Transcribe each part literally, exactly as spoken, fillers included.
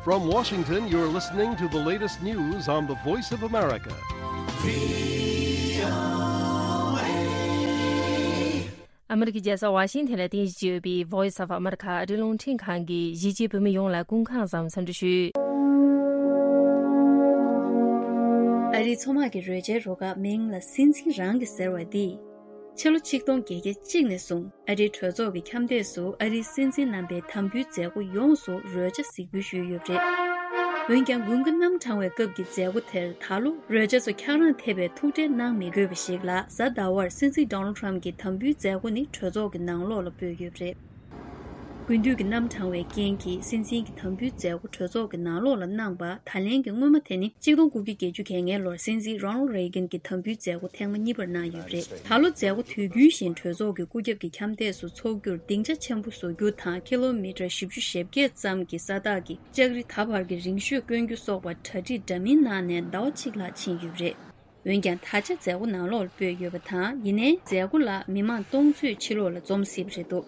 From Washington, you're listening to the latest news on the Voice of America. ཨ་མི་རི་ཀའི་རྒྱལ་ས་ཝ་ཤིང་ཐན་ལ་རྟེན་གཞི་བྱས་ཡོད་པའི་Voice of America ཨ་རིའི་རླུང་འཕྲིན་ཁང་གི་གཞིས་བྱེས་བོད་མི་ཡོངས་ལ་སྐུ་ཁམས་བཟང་འཚམས་འདྲི་ཞུ། ཨ་རིའི་མཚོ་དམག་གི་རོལ་ཆའི་རུ་ཁག་མིང་ལ་སྲིད་འཛིན་རང་གི་ཟེར་བ་འདིས། ཕྱི་ལོ་ཆིག་སྟོང་བརྒྱད་བརྒྱ་གཅིག་ནས་བཟུང་ཨ་རིའི་གྲོས་ཚོགས་ཀྱི་འཁྱམས་སྡེ་སུ་ཨ་རིའི་སྲིད་འཛིན་རྣམ་པའི་དམ་འབུལ་མཛད་སྒོ་ཡོངས་སུ་རོལ་ཆ་གཟིགས་འབུལ་ཞུས་ཡོད་པ་རེད། འོན་ཀྱང་དགུན་ཁ་གནམ་གྲང་བའི་སྐབས་ཀྱི་མཛད་སྒོ་དེར་ད་ལོ་རོལ་ཆ་ཚོ་འཁྱག་རོམ་ཐེབས་པའི་ཐུགས་ཁྲལ་གནང་མི་དགོས་པ་ཞིག་ལ། གཟའ་ཟླ་བར་སྲིད་འཛིན་Donald Trump གྱི་དམ་འབུལ་མཛད་སྒོ་ནི་གྲོས་ཚོགས་ཀྱི་ནང་ལོགས་ལ་སྤོས་ཡོད་པ་རེད། དགུན་དུས་ཀྱི་གནམ་གྲང་བའི་རྐྱེན་གྱིས་སྲིད་འཛིན་གྱི་དམ་འབུལ་མཛད་སྒོ་གྲོས་ཚོགས་ཀྱི་ནང་ལོགས་ལ་གནང་པ། ད་ལན་གྱི་སྔོན་མ་དེ་ནི་ཆིག་སྟོང་དགུ་བརྒྱ་བརྒྱད་ཅུ་གྱ་ལྔའི་ལོར་སྲིད་འཛིན་Ronald Reagan གྱི་དམ་འབུལ་མཛད་སྒོ་ཐེངས་མ་གཉིས་པར་གནང་ཡོད་པ་རེད། ད་ལོ་མཛད་སྒོ་དུས་རྒྱུན་བཞིན་གྲོས་ཚོགས་ཀྱི་སྐུ་རྒྱབ་ཀྱི་འཁྱམས་སྡེ་སུ་འཚོགས་རྒྱུར་སྡིངས་ཆ་ཆེན་པོ་བཟོ་རྒྱུ་དང་། ཀི་ལོ་མི་ཊར་བཞི་བཅུ་ཞེ་བརྒྱད་ཙམ་གྱི་ས་ཐག་གི་ལྕགས་རི་ད་བར་གྱི་རིང་ཤོས་བསྐོན་རྒྱུ་སོགས་པ་གྲ་སྒྲིག་འདྲ་མིན་གནང་ནས་ཟླ་བ་གཅིག་ལྷག་ཕྱིན་ཡོད་པ་རེད། འོན་ཀྱང་ད་ཆ་མཛད་སྒོ་ནང་ལོགས་ལ་སྤོས་ཡོད་པ་དང་། ཡིན་ནའི་མཛད་སྒོ་ལ་མི་མང་སྟོང་ཚོས་ཕྱི་ལོགས་ལ་འཛོམས་སྲིད་པ་རེད་འདུག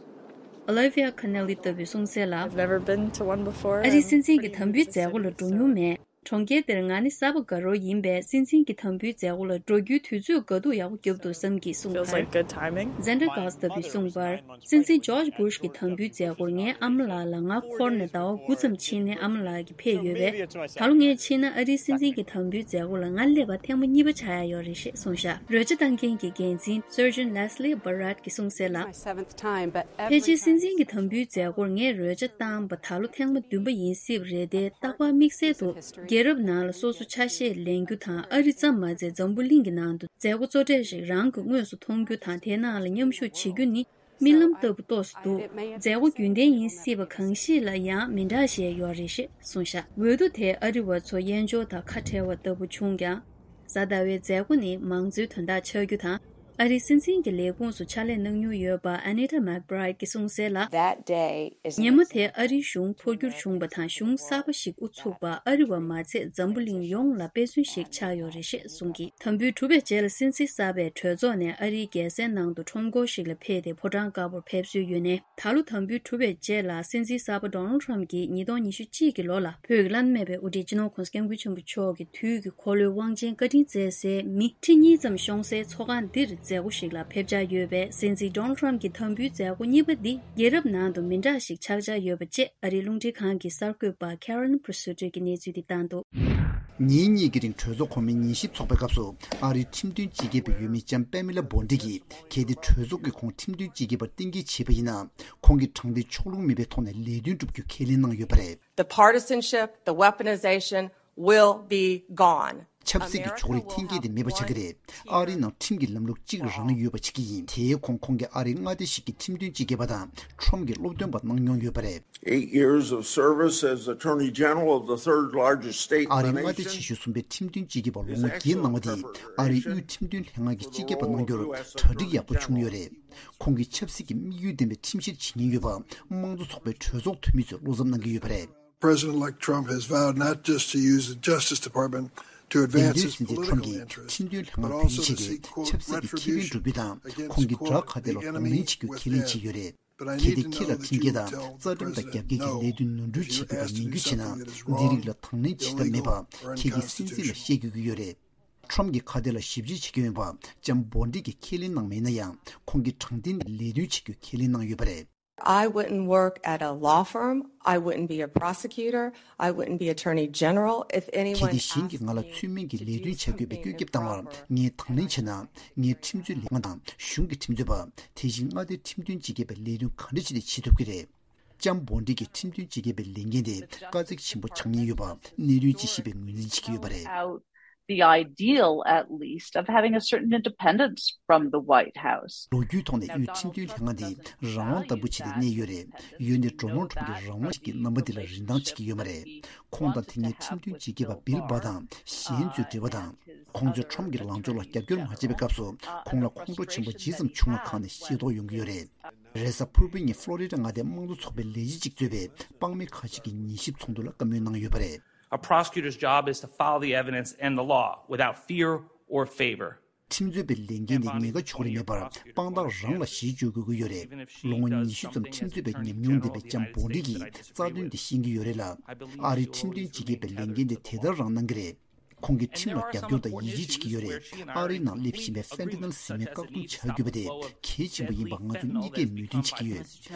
Olivia Connelly ལྟ་བུས་གསུངས་གསལ་ལ། I've never been to one before. ཨ་རིའི་སྲིད་འཛིན་གྱི་དམ་འབུལ་མཛད་སྒོ་ལ་འགྲོ་མྱོང་མེད། གྲོང་ཁྱེར་དེར་ང་ནི་གསར་པ་དགའ་རོགས་ཡིན་པས། སྲིད་འཛིན་གྱི་དམ་འབུལ་མཛད་སྒོ་ལ་འགྲོ་རྒྱུའི་དུས་ཚོད་དགའ་སྡུག་ཡག་པོ་རྒྱབ་འདུག་བསམ་གྱིས་གསུངས་པར། Xander Goss ལྟ་བུས་གསུངས་པར། སྲིད་འཛིན་George Bush གི་དམ་འབུལ་མཛད་སྒོར་ངའི་ཨ་མ་ལགས་ལ་ང་འཁོར་ནས་ཟླ་བ་དགུ་ཙམ་ཕྱིན་ནས་ཨ་མ་ལགས་ཀྱིས་ཕེབས་ཡོད་པས། ད་ལོ་ངས་ཕྱིན་ན་ཨ་རིའི་སྲིད་འཛིན་གྱི་དམ་འབུལ་མཛད་སྒོ་ལ་ང་སླེབས་པ་ཐེངས་མ་གཉིས་པ་ཆགས་ཡ་ཡོད་རེད་ཞེས་གསུངས་བཞག་རོལ་ཆ་བཏང་མཁན་གྱི་འགན་འཛིན་Surgeon Leslie Barrett གྱིས་གསུངས་གསལ་ལ། ཕལ་ཆེར་སྲིད་འཛིན་གྱི་དམ་འབུལ་མཛད་སྒོར་ངས་རོལ་ཆ་བཏང་པ་ད་ལོ་ཐེངས་མ་བདུན་པ་ཡིན་སྲིད་པ་རེད་དེ། རྟག་པར་དམིགས་བསལ་དུ་རྒྱལ་རབས་ནང་ལ་སོ་སོ་ཆ་ཤས་ལེན་རྒྱུ་དང་། ཨ་རི་ཙམ་མ་ཟད་འཛམ་བུ་གླིང་གི་ནང་དུ་མཛད་སྒོ་གཙོ་གྲས་ཤིག་རང་གིས་དངོས་སུ་མཐོང་རྒྱུ་དང་། དེའི་ནང་ལ་མཉམ་ཞུགས་བྱེད་རྒྱུ་ནི་རྨི་ལམ་ལྟ་བུ་ཏོག་ཙམ་འདུག་མཛད་སྒོ་རྒྱུན་ལྡན་ཡིན་སྲིད་པ་གང་ཞིག་ལ་ཡང་མི་འདྲ་ཞིག་ཡོད་རེད་ཞེས་གསུངས་བཞག་འོས་བསྡུ་དེ་ཨ་རི་བ་ཚོ་དབྱེན་སྦྱོར་དང་ཁ་བྲལ་བ་ལྟ་བུ་བྱུང་ཀྱང་། གཟའ་ཟླ་བའི་མཛད་སྒོ་ནི་མང་གཙོའི་དོན་དག་ཆགས་རྒྱུ་དང་། ཨ་རིའི་སྲིད་འཛིན་གྱི་ལས་ཁུངས་སུ་ཕྱག་ལས་གནང་མྱོང་ཡོད་པ་Anita McBride གྱིས་གསུངས་གསལ་ལ། That day is ཉིན་མོ་དེ་ཨ་རིའི་གཞུང་འཕོ་འགྱུར་བྱུང་བ་དང་། གཞུང་གསར་པ་ཞིག་དབུ་ཚུགས་པ་ཨ་རི་བ་མ་ཚད་འཛམ་བུ་གླིང་ཡོངས་ལ་དཔེ་མཚོན་ཞིག་ཆགས་ཡོད་རེད་ཞེས་གསུངས་ཀྱིས། དམ་འབུལ་གྲུབ་པའི་རྗེས་ལ་སྲིད་འཛིན་གསར་པས་གྲོས་ཚོགས་ནས་ཨ་རིའི་རྒྱལ་སའི་ནང་དུ་ཁྲོམ་སྐོར་ཞིག་ལ་ཕེབས་ཏེ་ཕོ་བྲང་དཀར་པོར་ཕེབས་སྲོལ་ཡོད་ནའི། ད་ལོ་དམ་འབུལ་གྲུབ་པའི་རྗེས་ལ་སྲིད་འཛིན་གསར་པ་Donald Trump གྱིས་ཉིས་སྟོང་ཉི་ཤུ་གཅིག་གི་ལོ་ལ་བོད་ཀྱི་བླ་ན་མེད་པའི་དབུ་ཁྲིད་སྤྱི་ནོར་༸གོང་ས་༸སྐྱབས་མགོན་ཆེན་པོ་མཆོག་གི་དུས་ཀྱི་འཁོར་ལོའི་དབང་ཆེན་བཀའ་དྲིན་བསྩལ་སའི་མི་ཁྲི་གཉིས་ཙམ་ཤོང་སའི་ཚོགས་ཁང་འདིར་མཛད་སྒོ་ཞིག་ལ་ཕེབས་འཆར་ཡོད་པས། སྲིད་འཛིན་Donald Trump གྱི་དམ་འབུལ་མཛད་སྒོ་གཉིས་པ་འདི་རྒྱལ་རབས་ནང་དུ་མི་འདྲ་ཞིག་ཆགས་འཆར་ཡོད་པ་བཅས་ཨ་རིའི་རླུང་འཕྲིན་ཁང་གི་གསར་འགོད་པ་Carolyn Presutti གྱིས་གནས་ཚུལ་འདི་བཏང་འདུག་ཉིན་གཉིས་ཀྱི་རིང་གྲོས་ཚོགས་གོང་མའི་ཉན་ཞིབ་ཚོགས་པའི་སྐབས་སུ། ཨ་རིའི་ཁྲིམས་དོན་སྤྱི་ཁྱབ་པ་འོས་མི་ལྕམ་Pamela Bondi གྱིས། གལ་ཏེ་གྲོས་ཚོགས་ཀྱིས་ཁོང་ཁྲིམས་དོན་སྤྱི་ཁྱབ་པར་གཏན་འཁེལ་བྱས་པ་ཡིན་ན། ཁོང་གིས་དྲང་བདེན་ཕྱོགས་ལྷུང་མེད་པའི་ཐོག་ནས་ལས་དོན་བསྒྲུབ་རྒྱུ་ཁས་ལེན་གནང་ཡོད་པ་རེད། The partisanship, the weaponization will be gone. ཆབ་སྲིད་ཀྱི་ཕྱོགས་རིས་འཐེན་འཁྱེར་དེ་མེད་པ་ཆགས་ཀྱི་རེད། ཨ་རིའི་ནང་ཁྲིམས་ཀྱི་ལམ་ལུགས་གཅིག་རང་ཡོད་པ་ཆགས་ཀྱི་ཡིན། དེའི་གོང་ཁོང་གིས་ཨ་རིའི་མངའ་སྡེ་ཞིག་གི་ཁྲིམས་དོན་སྤྱི་ཁྱབ་པ་དང་ཁྲོམ་གྱི་སློབ་སྟོན་པ་གནང་མྱོང་ཡོད་པ་རེད། Eight years of service as Attorney General of the third largest state in ཨ་the རིའི་མངའ་སྡེ་nation. ཆེ་ཤོས་གསུམ་པའི་ཁྲིམས་དོན་སྤྱི་ཁྱབ་པ་ལོ་ངོ་བརྒྱད་གནང་བ་དེས་ཨ་རིའི་དབུས་ཁྲིམས་དོན་ལྷན་ཁང་གི་སྤྱི་ཁྱབ་པ་གནང་རྒྱུར་གྲ་སྒྲིག་ཡག་པོ་བྱུང་ཡོད་རེད། ཁོང་གིས་ཆབ་སྲིད་ཀྱི་དམིགས་ཡུལ་ལྡན་པའི་ཁྲིམས་བཤེར་བྱེད་ཉེན་ཡོད་པ་དམངས་གཙོ་ཚོགས་པའི་གྲོས་ཚོགས་འཐུས་མི་ཚོས་བློ་འཚབ་གནང་གི་ཡོད་པ་རེད། President-elect Trump has vowed not just to use the Justice Department to འདས་དོན་སྲིད་འཛིན་ཁྲོམ་གྱིས་ཁྲིམས་དོན་ལྷན་ཁང་བེད་སྤྱོད་བྱས་ཏེ་ཆབ་སྲིད་ཀྱི་ཁེ་ཕན་སྒྲུབ་རྒྱུ་དང་། ཁོང་གིས་དགྲ་ཁ་གཏད་ལ་གདོང་ལེན་བྱེད་རྒྱུ་ཁས་ལེན་བྱས་ཡོད་རེད། གལ་ཏེ་ཁྱེད་ལ་ཁྲིམས་འགལ་དང་རྩ་ཁྲིམས་དང་རྒྱབ་འགལ་གྱི་ལས་དོན་ནོར་འཁྲུལ་བྱེད་ཐུབ་པ་ཡིན་རྒྱུ་བྱས་ན། འདི་རིགས་ལ་དང་ལེན་བྱེད་ཐབས་མེད་པ་ཁྱེད་ཀྱིས་སྲིད་འཛིན་ལ་བཤད་དགོས་ཀྱི་ཡོད་རེད། ཁྲོམ་གྱིས་ཁ་གཏད་ལ་ཞིབ་དཔྱད་བྱེད་ཀྱི་ཡོད་པ་ལྕམ་Bondi གྱིས་ཁས་ལེན་གནང་མེད་ན་ཡང་། ཁོང་གིས་དྲང་བདེན་ལ་ལས་དོན་བྱེད་རྒྱུ་ཁས་ལེན་གནང་ཡོད་པ་རེད། I wouldn't work at a law firm. I wouldn't be a prosecutor. I wouldn't be Attorney General if anyone གལ་ཏེ་གཞན་གྱིས་ང་ལ་ཚུལ་མིན་གྱི་ལས་དོན་བྱ་དགོས་པའི་བཀོད་ཁྱབ་བཏང་བར་ངས་དང་ལེན་བྱས་ན། ངས་ཁྲིམས་རྩོད་ལས་ཁང་དང་གཞུང་གི་ཁྲིམས་རྩོད་པ། དེ་བཞིན་མངའ་སྡེའི་ཁྲིམས་དོན་སྤྱི་ཁྱབ་པའི་ལས་དོན་ག་འདྲ་བྱས་ཏེ་བྱེད་ཐུབ་ཀྱི་རེད། ལྕམ་Bondi གྱིས་ཁྲིམས་དོན་སྤྱི་ཁྱབ་པའི་ལས་འགན་དེ་དཀའ་ཚེགས་ཆེན་པོ་ཆགས་ཉེན་ཡོད་པ་གནད་དོན་ཅིག་ཞེས་པའི་ངོས་འཛིན་བྱེད་ཀྱི་ཡོད་པ་རེད། Out the ideal, at least, of having a certain independence from the White House. ལོ་རྒྱུས་ཐོག་ནས་དབུས་ཁྲིམས་དོན་ལྷན་ཁང་འདི་རང་དབང་ལྟ་བུ་ཅིག་ཏུ་གནས་ཡོད་རེད། འོན་ཏེ་Donald Trump གྱིས་རང་དབང་ཞིག་གི་རྣམ་པ་འདི་ལ་རིན་ཐང་བྱེད་ཀྱི་ཡོད་མ་རེད། ཁོང་དང་དེ་སྔའི་ཁྲིམས་དོན་སྤྱི་ཁྱབ་པ་Bill Barr དང་གཞན་ཚོའི་འབྲེལ་བ་དང་། ཁོང་ཚོས་Trump གྱི་ལངས་ཕྱོགས་ལ་རྒྱབ་སྐྱོར་མ་བྱས་པའི་སྐབས་སུ་ཁོང་ལ་ཁོང་ཁྲོ་ཆེན་པོ་ཇི་ཙམ་བྱུང་བ་ཁག་ནས་ཤེས་རྟོགས་ཡོང་གི་ཡོད་རེད། རེས་གཟའ་ཕུར་བུའི་ཉིན་Florida མངའ་སྡེའི་དམངས་གཙོ་ཚོགས་པའི་ལས་བྱེད་ཅིག་གཙོས་པའི་དཔང་མི་ཁ་ཤས་ཀྱིས་ཉན་ཞིབ་ཚོགས་འདུ་ལ་བཀའ་མོལ་གནང་ཡོད་པ་རེད། A prosecutor's job is to follow the evidence and the law without fear or favor. ཁྲིམས་རྩོད་པའི་ལས་འགན་དེ་ཉེན་ཁ་ཕྱོགས་རིས་མེད་པར་དཔང་རྟགས་རང་ལ་གཞི་བཅོལ་དགོས་ཀྱི་ཡོད་རེད། ལོ་ངོ་ཉི་ཤུ་ཙམ་ཁྲིམས་རྩོད་པའི་ཉམས་མྱོང་ལྡན་པའི་ལྕམ་བོ་འགྲིག་གིས་རྩ་དོན་དེ་ཤེས་ཀྱི་ཡོད་རེད་ལ། ཨ་རིའི་ཁྲིམས་དོན་ཇི་སྐད་པའི་ལས་འགན་དེ་དེ་ལྟར་རང་གནང་གི་རེད། ཁོང་གིས་ཁྲིམས་ལ་རྒྱབ་སྐྱོར་དང་ཡིད་ཆེས་བྱེད་ཀྱི་ཡོད་རེད། ཨ་རིའི་ནང་སླེབས་བཞིན་པའི་ཕེན་ཏི་ནལ་ཟེར་མི་བཀག་སྡོམ་བྱ་དགོས་པ་དེ་གལ་ཆེན་པོ་ཡིན་པ་ང་ཚོ་གཉིས་ཀས་མོས་མཐུན་བྱེད་ཀྱི་ཡོད།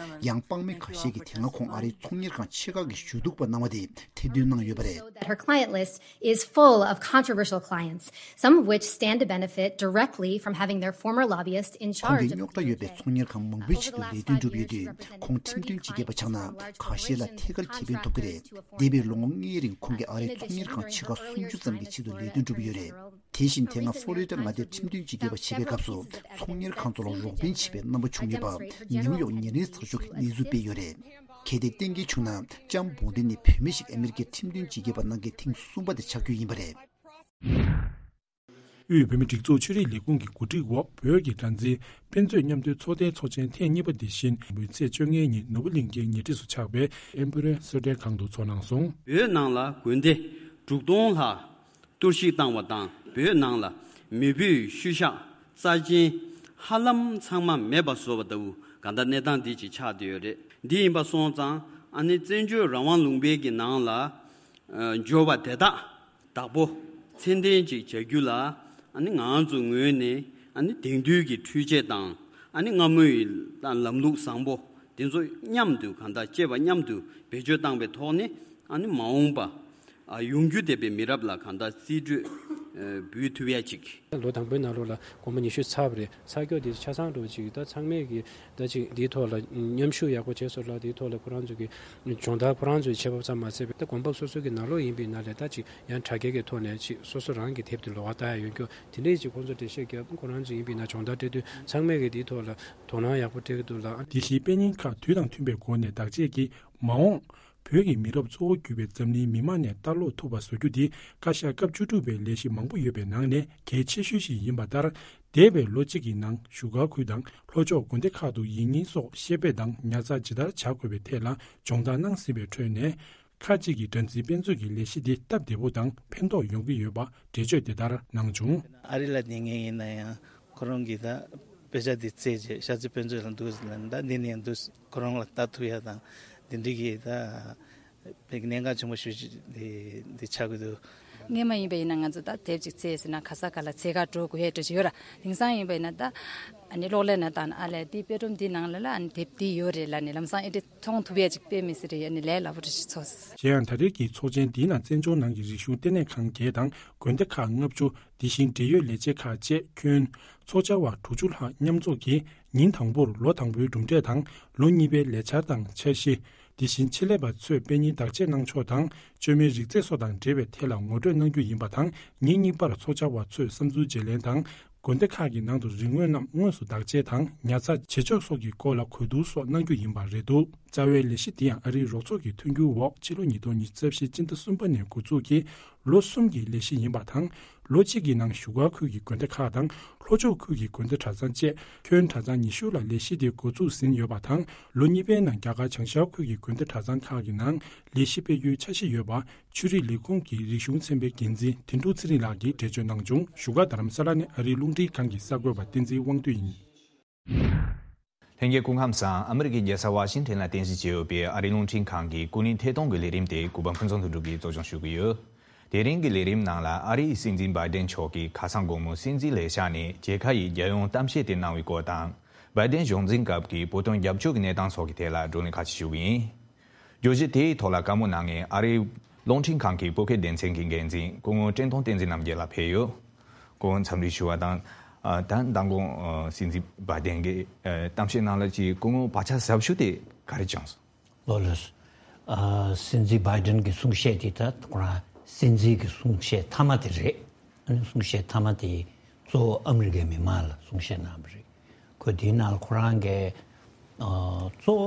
ཡང་དཔང་མི་ཁ་ཤས་ཀྱིས་དེ་སྔ་ཁོང་ཨ་རིའི་ཚོང་གཉེར་ཁང་ཆེ་ཁག་གི་ཞུ་གཏུག་པ་གནང་བ་དེ་ཐེར་འདོན་གནང་ཡོད་པ་རེད། That her client list is full of controversial clients, some of which stand to benefit directly from having their former lobbyist in ཁོང་གི་རྙོག་དྲ་ཡོད་པའི་ཚོང་གཉེར་ཁང་མང་པོའི་ཆེད་དུ་ལས་དོན་སྒྲུབ་ཡོད་དུས། ཁོང་ཁྲིམས་དོན་སྤྱི་ཁྱབ་པ་ཆགས་ན་ཁ་ཤས་ལ་ཐད་ཀར་ཁེ་ཕན་ཐོབ་ཀྱི་རེད། འདས་པའི་ལོ་ངོ་ལྔའི་རིང་ཁོང་གིས་ཨ་རིའི་ཚོང་གཉེར་ཁང་ཆེ་ཁག་སུམ་ཅུ་ཙམ་གྱི་ཆེད་དུ་ལས་དོན་བསྒྲུབས་ཡོད་རེད། དེ་བཞིན་དེ་སྔ་ཧྥོ་རི་ཌ་མངའ་སྡེའི་ཁྲིམས་དོན་སྤྱི་ཁྱབ་པ་བྱེད་པའི་སྐབས་སུ་ཚོང་གཉེར་ཁང་ཚོ་ལ་རོགས་ཕན་བྱས་པའི་རྣམ་པ་བྱུང་ཡོད་པ་ནིའུ་ཡོག་ཉིན་རེའི་ཚགས་ཤོག་གིས་གནས་ཚུལ་སྤེལ་ཡོད་རེད། གལ་ཏེ་གཏན་འཁེལ་བྱུང་ན་ལྕམ་བོ་འདི་ནི་བུད་མེད་ཞིག་ཨ་མེ་རི་ཀའི་ཁྲིམས་དོན་སྤྱི་ཁྱབ་པ་གནང་མཁན་ཐེངས་གསུམ་པ་དེ་ཆགས་རྒྱུ་ཡིན་པ་རེད། དབུས་བོད་མིའི་སྒྲིག་འཛུགས་ཆོས་རིག་ལས་ཁུངས་ཀྱི་གོ་སྒྲིག་འོག་བོད་ཀྱི་སྒྲ་འཛིན་དཔེ་མཛོད་མཉམ་འདུས་ཚོགས་སྡེའི་ཚོགས་ཆེན་ཐེངས་གཉིས་པ་འདི་ཞིན་པའི་ཚེས་བཅོ་ལྔའི་ཉིན་ནོར་བུ་གླིང་ཁའི་ཉེ་འཁྲིས་སུ་ཆགས་པའི་ཨེམ་པེ་རེལ་གསོལ་ཁྲལ་ཁང་དུ་ཚོགས་གནང་སོང་། བོད་ནང་ལ་དགོན་སྡེ་དྲུག་སྟོང་ལྷག་གཏོར་བཤིག་བཏང་བ་དང་། བོད་ནང་ལ་མེས་པོའི་ཤུལ་བཞག་རྩ་ཆེན་ཧ་ལམ་ཚང་མ་མེད་པ་བཟོ་བ་ལྟ་བུ་གང་ལྟར་གནས་སྟངས་འདི་ཅིག་ཆགས་བསྡད་ཡོད་རེད། འདི་ཡིན་པ་སོང་ཙང་ཨ་ནི་བཙན་བྱོལ་རང་དབང་ལུང་པའི་གི་ནང་ལ་ཨ་འབྱོར་བ་དེ་དག་བདག་པོ་མཚན་ལྡན་ཅིག་བྱ་རྒྱུ་ལ་ཨ་ནི་ང་ཚོ་ངོས་ནས་ཨ་ནི་དེང་དུས་ཀྱི་འཕྲུལ་ཆས་དང་ཨ་ནི་སྔ་མོའི་ལམ་ལུགས་བཟང་པོ་དེ་ཚོ་མཉམ་དུ་གང་ལྟར་བཅས་པ་མཉམ་དུ་བེད་སྤྱོད་བཏང་བའི་ཐོག་ནས་ཨ་ནི་མ་འོངས་པ། ཨ་ཡོང་རྒྱུ་བསྡད་པའི་མི་རབས་ལ་གང་ལྟར་རྩིས་སྤྲོད་ཨ་འབུལ་ཐུབ་ཡ་ཅིག་ལོ་དང་པོའི་ནང་ལོགས་ལ་སྒོར་མོ་ཉི་ཤུ་ཚར་བ་རེད། ཚར་སྐྱོ་དེ་ཆ་ཚང་འགྲོ་ཅིག་ད་ཚང་མས་ཀྱི་ད་ཅིག་འདིའི་ཐོག་ལ་མཉམ་ཞུགས་ཡག་པོ་བྱས་སོང་ལ། དེའི་ཐོག་ལ་ཁོ་རང་ཚོ་གི་སྦྱོང་བརྡར་ཁོ་རང་ཚོའི་བྱེད་བབ་ཙམ་མ་ཟད་པའི་ད་དགོན་པ་སོ་སོ་གི་ནང་ལོགས་ཡིན་པའི་ནང་ལས་ད་ཅིག་ཡང་དྲ་རྒྱའི་གི་ཐོག་ནས་ཅིག་སོ་སོ་རང་གི་དེབ་དེ་ལོགས་ཀ་ལྟ་ཡ་ཡོང་རྒྱུ་དེ་འདྲའི་ཅིག་ཁོང་ཚོ་འགྲེལ་བཤད་རྒྱབ། ཁོ་རང་ཚོ་ཡིན་པའི་ནང་སྦྱོང་བརྡར་སྤྲད་དུས་ཚང་མས་ཀྱི་དེའི་ཐོག་ལ་དོ་སྣང་ཡག་པོ་སྤྲད་ཀྱི་འདུག་ལ། དེ་བཞིན་དཔེ་རྙིང་ཁག་དུས་དང་མཐུན་པའི་སྒོ་ནས་བདག་གཅེས་ཀྱིས་མ་འོངས་བོད་ཀྱི་མི་རབས་གཙོ་བོ་གྱུར་པའི་འཛམ་གླིང་མི་མང་ནས་ལྟ་ཀློག་ཐུབ་པ་བཟོ་རྒྱུ་འདི་བཀའ་ཤག་སྐབས་བཅུ་དྲུག་པའི་ལས་གཞི་མང་པོ་ཡོད་པའི་ནང་ནས་གལ་ཆེ་ཤོས་ཤིག་ཡིན་པ་ལྟར། འདས་པའི་ལོ་གཅིག་གི་ནང་བཞུགས་སྒར་ཁུལ་དང་ལྷོ་ཕྱོགས་དགོན་སྡེ་ཁག་ཏུ་ཡིག་རྙིང་སོགས་བཤད་སྤེལ་དང་ཉར་ཚགས་ཇི་ལྟར་བྱ་དགོས་པའི་ཐད་ལ་སྦྱོང་བརྡར་གནང་ཟིན་པའི་ཁྲོད་ནས། ཁག་ཅིག་གིས་སྒྲ་འཛིན་དཔེ་མཛོད་ཀྱི་ལས་གཞི་འདི་སྟབས་བདེ་པོ་དང་ཕན་ཐོགས་ཡོང་གི་ཡོད་པ་འགྲེལ་བརྗོད་དེ་ལྟར་གནང་བྱུང་། ཨ་རི་ལ་བསྡད་མཁན་ཡིན་ན་ཡང་ཁོ་རང་གིས་ད་དཔེ་ཆ་འདི་བཙལ་རྗེས་ཤར་རྩེ་དཔེ་མཛོད་ལ་འདུག་ཟེར་ལབ་ན། ད་འདི་ནས་འདུག་ཁོ་རང་ལ་ལྟ་ཐུབ་ཡ་དང་འདི་འདྲ་གི་ད་བོད་ཀྱི་གནད་འགག་ཆེན་པོ་ཞེ་པོ་ཅིག་འདི་འདི་ཆགས་ཀྱི་འདུག་སྔོན་མ་ཡིན་པ་ཡིན་ན་ང་ཚོ་ད་དེབ་ཅིག་བཙལ་ཟེར་ན་ག་ས་ག་ལ་འཚོལ་ག་འགྲོ་དགོས་ཡས་འདྲ་ཅིག་ཡོད་ར། དེང་སང་ཡིན་པ་ཡིན་ན་ད་ཨ་ནི་གློག་ཀླད་ནང་བཏང་ན་ཨ་ལས་འདི་དཔེ་སྒྲོམ་འདི་ནང་ལ་ལ་ཨ་ནི་དེབ་འདི་ཡོད་རེད་ལབ་ནས་ལམ་སང་ཨེ་འདྲ་མཐོང་ཐུབ་ཡས་ཅིག་དཔེ་མི་སྲིད་རེད། ཨ་ནི་ལས་སླ་པོ་འདྲ་ཞིག་ཚོར། གཞན་ཡང་ད་རེས་ཀྱི་ཚོགས་ཆེན་འདིའི་ནང་བཙན་བྱོལ་ནང་གི་རིག་གཞུང་ལྟེ་གནས་ཁང་བརྒྱད་དང་དགོན་སྡེ་ཁག་ལྔ་བཅུ། དེ་བཞིན་འབྲེལ་ཡོད་ལས་བྱེད་ཁག་བཅས་ཁྱོན་ཚོགས་བཅར་བ་དྲུག་ཅུ་ལྷག་མཉམ་འཛོམས་ཀྱིས་ཉིན་དང་པོར་ལོ་དང་པོའི་གྲུབ་འབྲས་དང་ལོ་གཉིས་པའི་ལས་འཆར་དང་འཆར་གཞི། དེ་བཞིན་ཆེད་ལས་པ་ཚོས་དཔེ་རྙིང་བདག་གཅེས་གནང་ཕྱོགས་དང་བཅོས་མའི་རིག་རྫས་སོགས་དང་འབྲེལ་བའི་ཐད་ལ་ངོ་སྤྲོད་གནང་རྒྱུ་ཡིན་པ་དང་། ཉིན་གཉིས་པར་ཚོགས་བཅར་བ་ཚོས་བསམ་ཚུལ་བརྗེ་ལེན་དང་། དགོན་སྡེ་ཁག་གི་ནང་དུ་རིག་དངོས་རྣམས་དངོས་སུ་བདག་གཅེས་དང་ཉར་ཚགས་བྱེད་ཕྱོགས་སོགས་ཀྱི་སྐོར་ལ་གོ་བསྡུར་སོགས་གནང་རྒྱུ་ཡིན་པ་རེད་འདུག་རྩ་བའི་ལས་གཞི་འདི་ཡང་ཨ་རིའི་རོགས་ཚོགས་ཀྱི་མཐུན་འགྱུར་འོག་ཕྱི་ལོ་ཉིས་སྟོང་ཉི་ཤུ་རྩ་བཞི་སྤྱི་ཟླ་གསུམ་པ་ནས་འགོ་འཛུགས་ཀྱིས་ལོ་གསུམ་གྱི་ལས་གཞི་ཡིན་པ་དང་། ལོ་གཅིག་གི་ནང་བཞུགས་སྒར་ཁུལ་གྱི་དགོན་སྡེ་ཁག་དང་ལྷོ་ཕྱོགས་ཁུལ་གྱི་དགོན་སྡེ་གྲྭ་ཚང་བཅས་ཁྱོན་གྲྭ་ཚང་ཉི་ཤུ་ལ་ལས་གཞི་དེ་འགོ་འཛུགས་ཟིན་ཡོད་པ་དང་། ལོ་གཉིས་པའི་ནང་རྒྱ་གར་བྱང་ཤར་ཁུལ་གྱི་དགོན་སྡེ་གྲྭ་ཚང་ཁག་གི་ནང་ལས་གཞི་སྤེལ་རྒྱུའི་འཆར་གཞི་ཡོད་པ། ཆོས་རིག་ལས་ཁུངས་ཀྱི་རིག་གཞུང་ཚན་པའི་འགན་འཛིན་དིན་ཀྲུག་ཚེ་རིང་ལགས་ཀྱིས་འགྲེལ་བརྗོད་གནང་བྱུང་། བཞུགས་སྒར་རྡ་རམ་ས་ལ་ནས་ཨ་རིའི་རླུང་འཕྲིན་ཁང་གི་གསར་འགོད་པ་བསྟན་འཛིན་དབང་འདུས་ཡིན། ལྷན་རྒྱས་སྐུ་ཁམས་བཟང་། ཨ་མི་རི་ཀའི་རྒྱལ་ས་ཝ་ཤིང་ཊོན་ལ་རྟེན་གཞི་བྱས་ཡོད་པའི་ཨ་རིའི་རླུང་འཕྲིན་ཁང་གི་སྐུ་ཉིད་ཐད་གཏོང་གི་ལས་རིམ་དེ་གུས་པ་ཕུན་ཚོགས་དོན་གྲུབ་ཀྱིས་གཙོ་སྐྱོང་ཞུ་གི་ཡོད། དེ་རིང་གི་ལས་རིམ་ནང་ལ་ཨ་རིའི་སྲིད་འཛིན་བྷའི་ཏན་མཆོག་གིས་ཁ་སང་དགོང་མོ་སྲིད་འཛིན་ལས་ཤག་ནས་མཇལ་ཁ་ཡི་རྒྱལ་ཡོངས་གཏམ་བཤད་དེ་གནང་བའི་སྐོར་དང་། བྷའི་ཏན་གཞུང་འཛིན་སྐབས་ཀྱི་བོད་དོན་རྒྱབ་སྐྱོར་གྱི་གནས་སྟངས་སོགས་ཀྱི་ཐད་ལ་བགྲོ་གླེང་ཁ་ཤས་ཞུ་གི་ཡིན། བརྗོད་གཞི་དེའི་ཐོག་ལ་བཀའ་མོལ་གནང་མཁན་ཨ་རིའི་རླུང་འཕྲིན་ཁང་གི་བོད་སྐད་སྡེ་ཚན་གྱི་འགན་འཛིན་སྐུ་ངོ་བཀྲས་མཐོང་བསྟན་འཛིན་རྣམ་རྒྱལ་ལགས་ཕེབས་ཡོད། སྐུ་ངོ་འཚམས་འདྲི་ཞུ་བ་དང་། ཨ། ད་མདང་དགོང་། ཨ། སྲིད་འཛིན་བྷའི་ཏན་གྱི། ཨ། གཏམ་བཤད་ནང་ལ་ཅིག་སྐུ་ངོ་བག་ཆགས་ཟབ་ཤོས་དེ་ག་རེ་བྱུང་སོང་། ལགས་ལགས། ཨ། སྲིད་འཛིན་བྷའི་ཏན་གྱི་གསུང་བཤད་དེ་ད་ཁོ་རང་སྲིད་འཛིན་གྱི་གསུང་བཤད་མཐའ་མ་དེ་རེད། ཨ་ནི་གསུང་བཤད་མཐའ་མ་དེ་གཙོ་བོ་ཨ་མི་རི་ཀའི་མི་མང་ལ་གསུང་བཤད་གནང་བ་རེད། ཁོས་དེའི་ནང་ལ་ཁོ་རང་གིས། ཨ། གཙོ་བོ་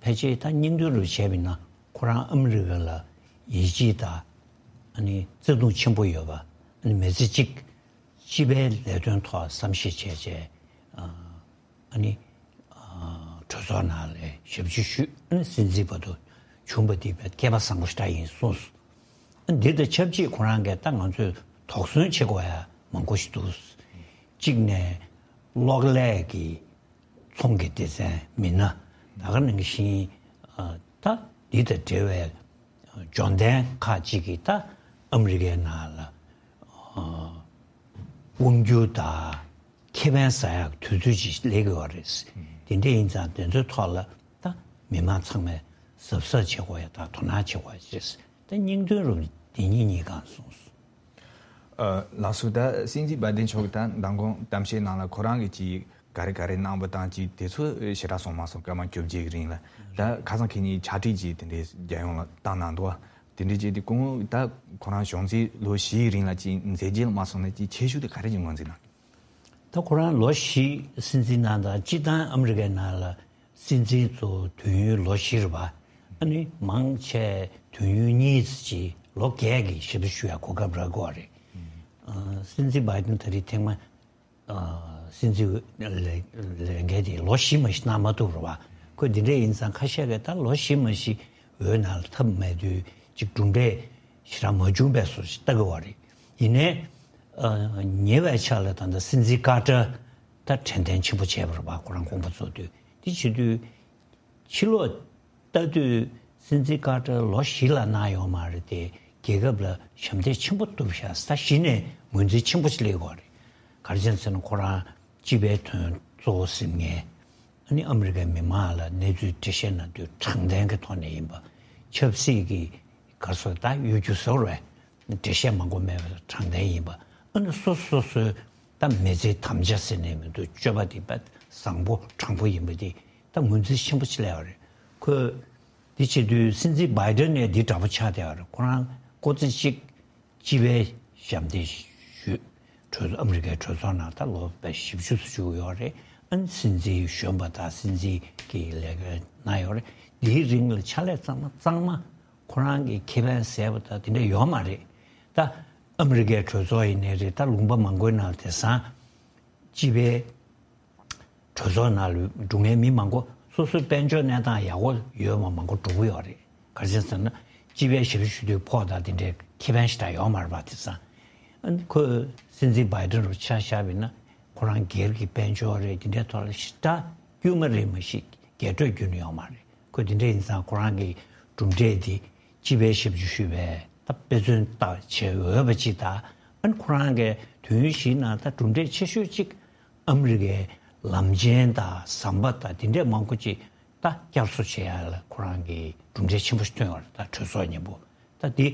ཕལ་ཆེར་ད་སྙིང་དོན་རུ་བྱས་པ་ཡིན་ན་ཁོ་རང་ཨ་མི་རི་ཀ་ལ་ཡིད་ཆེས་དང་ཨ་ནི་བརྩེ་དུང་ཆེན་པོ་ཡོད་པ། ཨ་ནི་མི་ཚེ་གཅིག་སྤྱི་པའི་ལས་དོན་ཐོག་བསམ་ཤེས་བྱས་བྱས། ཨ། ཨ་ནི། ཨ། གྲོས་ཚོགས་ནང་ལ་ཞབས་ཕྱི་ཞུས། ཨ་ནི་སྲིད་འཛིན་བར་དུ་བྱུང་བ་དེ་སྐལ་པ་བཟང་པོ་ཞེ་དྲག་ཡིན་གསུངས་སོང་། ཨ་ནི་འདི་དང་ཆབས་ཅིག་ཁོ་རང་གིས་ད་ང་ཚོས་དོགས་ཟོན་བྱེད་དགོས་ཡ་མང་པོ་ཞིག་འདུག་གཅིག་ནས་གློག་ཀླད་ཀྱི་ཚོང་གི་སྡེ་ཚན་མི་སྣ། ད་ག་ནང་བཞིན་ད་འདི་དང་འབྲེལ་བའི་འབྱོར་ལྡན་ཁག་ཅིག་གིས་ད་ཨ་མི་རི་ཀའི་ནང་ལ་དབང་སྒྱུར་དང་ཁེ་ཕན་ཟ་ཡག་དུས་ཚོད་ཅིག་སླེབས་ཀྱི་ཡོད་རེད། དེ་འདྲ་ཡིན་ཙང་དེ་ཚོའི་ཐོག་ལ་ད་མི་མང་ཚང་མས་གཟབ་གཟབ་བྱེད་དགོས་ཡ་དང་དོ་སྣང་བྱེད་དགོས་ཡ་རེད། ད་སྙིང་དོན་རུ་དེ་གཉིས་གཉིས་གང་གསུངས་སོང་། ཨ། ལགས་སོ། ད་སྲིད་འཛིན་བྷའི་ཌེན་མཆོག་གིས་ད་མདང་དགོང་གཏམ་བཤད་ནང་ལ་ཁོ་རང་གིས་ཅིག་ག་རེ་ག་རེ་གནང་བ་དང་ཅིག་དེ་ཚོ་ཞེ་དྲག་གསུངས་མ་སོང་། སྐར་མ་བཅོ་བརྒྱད་ཀྱི་རིང་ལ། ད་ཁ་སང་ཁེ་ཉིན་ཕྱག་བྲིས་ཅིག་དེ་འདྲའི་རྒྱལ་ཡོངས་ལ་བཏང་གནང་འདུག་དེ་འདྲའི་བྱས་ཏེ་ཁོང་ད་ཁོ་རང་གཞུང་འཛིན་ལོ་བཞིའི་རིང་ལ་ཅིག་མཛད་རྗེས་ལ་མ་སོང་ན་ཅིག་ཁྱད་ཆོས་དེ་ག་རེ་ཅིག་ངོས་འཛིན་གནང་། ད་ཁོ་རང་ལོ་བཞི་སྲིད་འཛིན་གནང་སྟངས་སྤྱིར་བཏང་ཨ་མི་རི་ཀའི་ནང་ལ་སྲིད་འཛིན་ཚོ་དུས་ཡུན་ལོ་བཞི་རེད་པ། ཨ་ནི་མང་ཆེ་དུས་ཡུན་གཉིས་ཙམ་ཅིག་ལོ་བརྒྱད་ཀྱི་ཞབས་ཞུ་ཞུ་ཡ་གོ་སྐབས་རག་གི་ཡོད་རེད། ཨ། སྲིད་འཛིན་བྷའི་ཌེན་ད་རེས་ཐེངས་མ་ཨ། སྲིད་འཛིན་ལས་ལས་འགན་དེ་ལོ་བཞི་མ་གཞི་གནང་མ་ཐུབ་རེད་པ། ཁོས་འདི་འདྲ་ཡིན་ཙང་ཁ་ཤས་ཀྱིས་ད་ལོ་བཞི་མ་གཞི་འོས་ནང་ལ་ཐོབ་མེད་དུས་ཅིག་གྲུབ་འབྲས་ཞེ་དྲག་མ་བྱུང་བས་བཟོ་ཞིག་ལྟ་གི་ཡོད་རེད། ཡིན་ནའི་ཨ། ཉེ་བའི་ཆར་ལ་ད་ལྟ་སྲིད་འཛིན་ཀར་ཏར་ད་དྲན་རྟེན་ཆེན་པོ་བྱས་པ་རེད་པ། ཁོ་རང་དགོངས་པ་རྫོགས་དུས། དེ་བྱེད་དུས་ཕྱི་ལོགས་ལྟ་དུས་སྲིད་འཛིན་ཀར་ཏར་ལོ་བཞི་ལ་གནང་ཡོད་མ་རེད་དེ། རྒྱལ་ཁབ་ལ་ཞབས་འདེགས་ཆེན་པོ་ཐོབ་ཤག་ཟེར་གཞི་ནས་ངོས་འཛིན་ཆེན་པོ་ཞིག་སླེབས་ཡོད་རེད། ག་རེ་བྱས་ཟེར་ན་ཁོ་རང་སྤྱི་པའི་དོན་གཙོ་བོ་ཟིན་མཁན། ཨ་ནི་ཨ་མི་རི་ཀའི་མི་མང་ལ་གནས་ཚུལ་འགྲེལ་བཤད་གནང་དུས་དྲང་བདེན་གྱི་ཐོག་ནས་ཡིན་པ། ཆབ་སྲིད་ཀྱི་ག་རེ་ཟེར་ད་གཡོ་སྒྱུ་ཟེར་བས། འགྲེལ་བཤད་མང་པོ་མེད་པ་དང་དྲང་བདེན་ཡིན་པ། ཨ་ནི་སོ་སོ་སོ་སོའི་ད་མི་ཚེའི་དམ་བཅའ་ཟེར་ནས་མི་འདུག་སྤྱོད་པ་དེ་དཔེ་བཟང་པོ་དྲང་པོ་ཡིན་པ་དེ་ད་ངོས་འཛིན་ཆེན་པོ་ཅིག་སླེབས་པ་རེད། ཁོས་འདི་བྱེད་དུས་སྲིད་འཛིན་བྷའི་ཌེན་ནས་འདི་འདྲ་པོ་ཆགས་བསྡད་པ་རེད། ཁོ་རང་ཀོ་ཙི་གཅིག་སྤྱི་པའི་ཞབས་འདེགས་ཞུས། གྲོས་ཚོགས་ཨ་མི་རི་ཀའི་གྲོས་ཚོགས་ནང་ད་ལོ་བཞི་བཅུ་ཙམ་བཞུགས་ཡོད་རེད། ཨ་ནི་སྲིད་འཛིན་གཞོན་པ་དང་སྲིད་འཛིན་གྱི་ལས་ཀ་གནང་ཡོད་རེད། འདིའི་རིང་ལ་ཕྱག་ལས་གཙང་མ་གཙང་མ་ཁོ་རང་གི་ཁེ་ཕན་ཟད་པ་དང་དེ་འདྲ་ཡོད་མ་རེད། ད་ཨ་མི་རི་ཀའི་གྲོས་ཚོགས་ཡིན་ནའི་རེད། ད་ལུང་པ་མང་པོའི་ནང་དེང་སང་སྤྱི་པའི་གྲོས་ཚོགས་ནང་ལ་འགྲོ་མཁན་མི་མང་པོ་སོ་སོའི་དཔལ་འབྱོར་གནས་སྟངས་ཡག་པོ་ཡོད་མ་མང་པོ་འགྲོ་གི་ཡོད་རེད། ག་རེ་བྱས་ཟེར་ན་སྤྱི་པའི་ཞབས་ཞུ་དུས་ཕོགས་དང་དེ་འདྲའི་ཁེ་ཕན་ཞེ་དྲག་ཡོད་མ་རེད་པ། དེང་སང་ཨ་ནི་ཁོས་སྲིད་འཛིན་བྷའི་ཌེན་རུ་ཆ་བཞག་པ་ཡིན་ན་ཁོ་རང་སྒེར་གྱི་དཔལ་འབྱོར་རེད། དེ་འདྲའི་ཐོག་ལ་ཞེ་དྲག་དཀྱུས་མ་རེད་མ་གཞི་རྒྱས་སྤྲོས་བརྒྱུད་ནས་ཡོད་མ་རེད། ཁོས་དེ་འདྲ་ཡིན་ཙང་ཁོ་རང་གི་གྲུབ་འབྲས་དེ་སྤྱི་པའི་ཞབས་ཞུ་ཞུས་པའི་ད་དཔེ་མཚོན་ལྟ་བྱེད་འོས་པ་ཅིག་དང་། ཨ་ནི་ཁོ་རང་གི་དུས་ཡུན་བཞིའི་ནང་ད་གྲུབ་འབྲས་ཆེ་ཤོས་གཅིག་ཨ་མི་རི་ཀའི་ལམ་ཆེན་དང་ཟམ་པ་དང་དེ་འདྲས་མང་པོ་ཅིག་ད་བསྐྱར་གསོ་བྱེད་ཡ་ལ་ཁོ་རང་གི་གྲུབ་འབྲས་ཆེན་པོ་ཞིག་ཐོན་ཡོད་རེད། ད་གྲོས་ཚོགས་མཉམ་པོ། ད་དེ་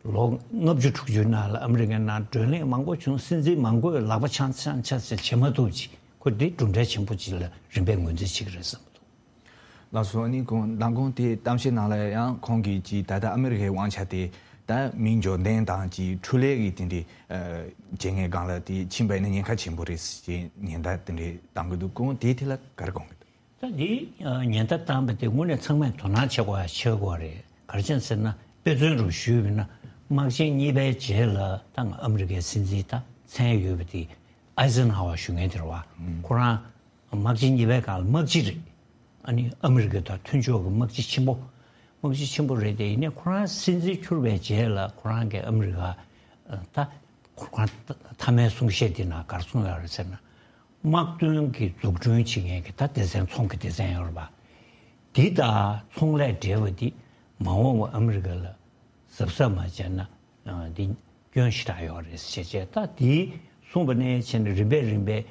ལོ་ལྔ་བཅུ་དྲུག་ཅུའི་ནང་ལ་ཨ་མི་རི་ཀའི་ནང་བགྲོ་གླེང་མང་པོ་བྱུང་། སྲིད་འཛིན་མང་པོས་ལག་པ་འཆང་འཆང་འཆང་ཟེར་བྱེད་མ་ཐུབ་ཅིག་ཁོ་དེ་གྲུབ་འབྲས་ཆེན་པོ་ཅིག་ལ་རིམ་པས་ངོས་འཛིན་བྱེད་ཀྱི་རེད་བསམ་གྱི་འདུག་ལགས་སོ། ཨ་ནི་ཁོང་མདང་དགོང་དེ་གཏམ་བཤད་ནང་ལ་ཡང་ཁོང་གིས་ཅིག་ད་ལྟ་ཨ་མི་རི་ཀའི་དབང་ཆ་དེ་ད་མི་འབྱོར་ལྡན་དང་ཅིག་འཕྲུལ་ལས་ཀྱི་དེ་འདྲའི་ཨ་བྱེད་མཁན་སྒང་ལ་དེ་ཕྱིན་པ་ཡིན་ན་ཉེན་ཁ་ཆེན་པོ་རེད་ཅེས་ཉེན་བརྡ་དེ་འདྲའི་བཏང་གི་འདུག་ཁོང་དེའི་ཐད་ལ་ག་རེ་དགོངས་ཀྱི་འདུག་ད་འདི་ཨ་ཉེན་བརྡ་བཏང་བ་དེ་དངོས་གནས་ཚང་མས་དོ་སྣང་བྱེད་དགོས་ཡ་ཆེ་དགོས་རེད། ག་རེ་བྱས་ཟེར་ན་དཔེ་མཚོན་རུ་ཞུས་པ་ཡིན་ན་དམག་ཆེན་གཉིས་པའི་རྗེས་ལ་ད་ང་ཨ་མི་རི་ཀའི་སྲིད་འཛིན་ད་མཚན་ཡོད་པ་དེ་ཨའི་ཟེན་ཧ་ཝར་ཞུ་མཁན་དེ་རེད་པ། ཁོ་རང་དམག་ཆེན་གཉིས་པའི་སྒང་ལ་དམག་སྤྱི་རེད། ཨ་ནི་ཨ་མི་རི་ཀ་དང་མཐུན་ཕྱོགས་ཀྱི་དམག་སྤྱི་ཆེན་པོ། དམག་སྤྱི་ཆེན་པོ་རེད་དེ། ཡིན་ནའི་ཁོ་རང་སྲིད་འཛིན་གྱུར་པའི་རྗེས་ལ་ཁོ་རང་གིས་ཨ་མི་རི་ཀ་ད་ཁོ་རང་མཐའ་མའི་གསུང་བཤད་དེ་ནང་ག་རེ་གསུངས་ཡོད་རེད་ཟེར་ན། དམག་དོན་གྱི་འཛུགས་སྐྲུན་བྱེད་མཁན་གྱི་ད་སྡེ་ཚན་ཚོང་གི་སྡེ་ཚན་ཡོད་རེད་པ། འདི་དང་ཚོང་ལས་འབྲེལ་བ་འདི་མ་འོངས་པ་ཨ་མི་རི་ཀ་ལ་གཟབ་གཟབ་མ་བྱས་ན་འདི་སྐྱོན་ཞེ་དྲག་ཡོད་རེད་ཟེར་བྱས། ད་འདི་གསུངས་པ་ནས་བྱས་ནས་རིམ་པས་རིམ་པས་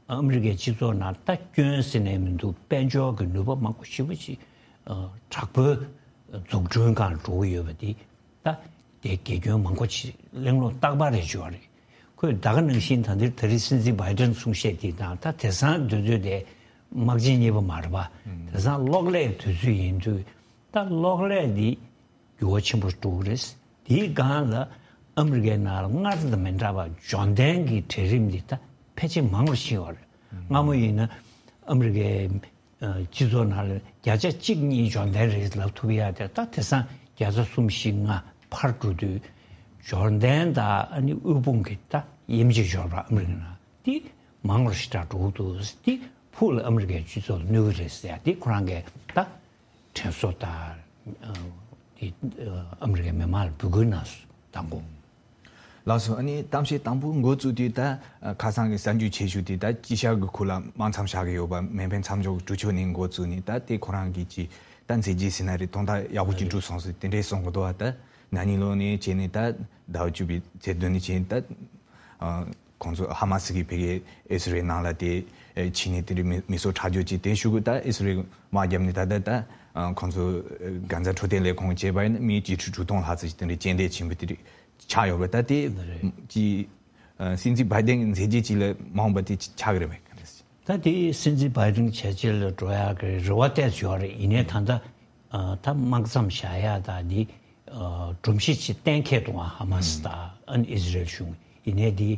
ཨ་མི་རི་ཀའི་སྤྱི་ཚོགས་ནང་ད་སྐྱོན་ཟེར་ནས་མི་འདུག་དཔལ་འབྱོར་གྱི་ནུས་པ་མང་པོ་ཞེ་པོ་ཅིག་ཨ་དྲག་པོའི་འཛུགས་སྐྲུན་སྒང་འགྲོ་གི་ཡོད་པ་འདི་ད་དེ་དགེ་སྐྱོན་མང་པོ་ཅིག་གླེང་སློང་རྟག་པར་རེ་བྱུང་བ་རེད། ཁོས་ད་ག་ནང་བཞིན་ད་འདིར་ད་རེས་སྲིད་འཛིན་བྷའི་ཌེན་གསུང་བཤད་འདི་དང་ད་དེང་སང་དུས་ཚོད་དེ་དམག་ཆེན་གཉིས་པ་མ་རེད་པ། དེང་སང་གློག་ཀླད་དུས་ཚོད་ཡིན་དུས་ད་གློག་ཀླད་འདི་འགྱུར་བ་ཆེན་པོ་འགྲོ་གི་རེད། དེའི་སྒང་ལ་ཨ་མི་རི་ཀའི་ནང་ལ་སྔར་དང་མི་འདྲ་བ་འབྱོར་ལྡན་གྱི་གྲལ་རིམ་འདི་ད་ཕལ་ཆེར་མང་རུ་ཕྱིན་ཡོད་རེད། སྔ་མོ་ཡིན་ན་ཨ་མི་རི་ཀའི་ཨ་སྤྱི་ཚོགས་ནང་ལ་བརྒྱ་ཆ་གཅིག་གཉིས་འབྱོར་ལྡན་རེད་ལབ་ཐུབ་ཡ་དེ་ད་དེང་སང་བརྒྱ་ཆ་གསུམ་བཞི་ལྔ་འཕར་འགྲོ་དུས་འབྱོར་ལྡན་དང་ཨ་ནི་དབུལ་ཕོངས་ཀྱི་ད་དབྱེ་འབྱེད་འབྱོར་བ་ཨ་མི་རི་ཀའི་ནང་འདི་མང་རུ་ཞེ་དྲག་འགྲོ་གི་འདུག་འདི་ཕུགས་ལ་ཨ་མི་རི་ཀའི་སྤྱི་ཚོགས་ལ་གནོད་གི་རེད་ཟེར་ཡ་འདི་ཁོ་རང་གིས་ད་དྲན་གསོ་དང་ཨ་དེ་ཨ་ཨ་མི་རི་ཀའི་མི་མང་ལ་འབོད་སྐུལ་གནང་སོང་། དང་པོ། ལགས་སོ། ཨ་ནི་གཏམ་བཤད་དང་པོ་འགོ་བཙུགས་དུས་ད་ཁ་སང་གི་གསར་འགྱུར་ཆེ་ཤོས་དེ་ད་དཀྱིལ་ཤར་གྱི་ཁུལ་ལ་དམག་མཚམས་བཞག་གི་ཡོད་པ་མེ་འཕེན་མཚམས་འཇོག་གི་གྲོས་ཆོད་ནས་འགོ་བཙུགས་ནས་ད་དེ་ཁོ་རང་གི་ཅིག་ད་མཛད་རྗེས་ཟེར་ན་རེད། དོན་དག་ཡག་པོ་ཅིག་འགྲུབ་སོང་ཟེར་དེ་འདྲས་གསུང་གི་འདུག་བ། ད་ན་ནིང་ལོ་ནས་བྱས་ནས་ད་ཟླ་བ་བཅུ་པའི་ཚེས་བདུན་ནས་བྱས་ནས་ད་ཁོང་ཚོ་ཧ་མ་སི་གིས་ཕ་གིའི་ཨི་སི་རེལ་ནང་ལ་དེ་ཕྱིན་ནས་དེ་འདྲའི་མི་མི་གསོད་ཁྲག་སྦྱོར་ཅིག་དེ་ཞུ་གི་ད་ཨི་སི་རེལ་དམག་བརྒྱབ་ནས་ད་ད་ད་ཁོང་ཚོ་གྷན་ཛ་འཕྲོད་བསྟེན་ལས་ཁུངས་བྱས་པ་ཡིན་ན་མི་བཅུ་ཁྲི་དྲུག་སྟོང་ལྷག་ཙམ་ཞིག་དེ་འདྲའི་རྐྱེན་འདས་ཕྱིན་པ་དེ་འདྲའི་ཆགས་ཡོད་པ། ད་དེ་ཅི་སྲིད་འཛིན་བྷའི་ཏན་གྱི་མཛད་རྗེས་ཅིག་ལ་མ་འོངས་པ་དེ་ཆགས་ཀྱི་རེད་པས། ག་འདྲ་ཞིག་ད་དེ་སྲིད་འཛིན་བྷའི་ཏན་བྱས་རྗེས་ལ་འགྲོ་ཡག་གི་རེ་བ་ཏོག་ཙམ་ཡོད་རེད། ཡིན་ནའི་ད་ལྟ་ད་དམག་མཚམས་བཞག་ཡག་ད་འདི་སྒྲོམ་གཞི་ཅིག་གཏན་འཁེལ་འདུག་ཨ། ཧ་མ་སི་དང་ཨ་ནི་ཨི་སི་རེལ་གཞུང་ཡིན་ནའི་འདི་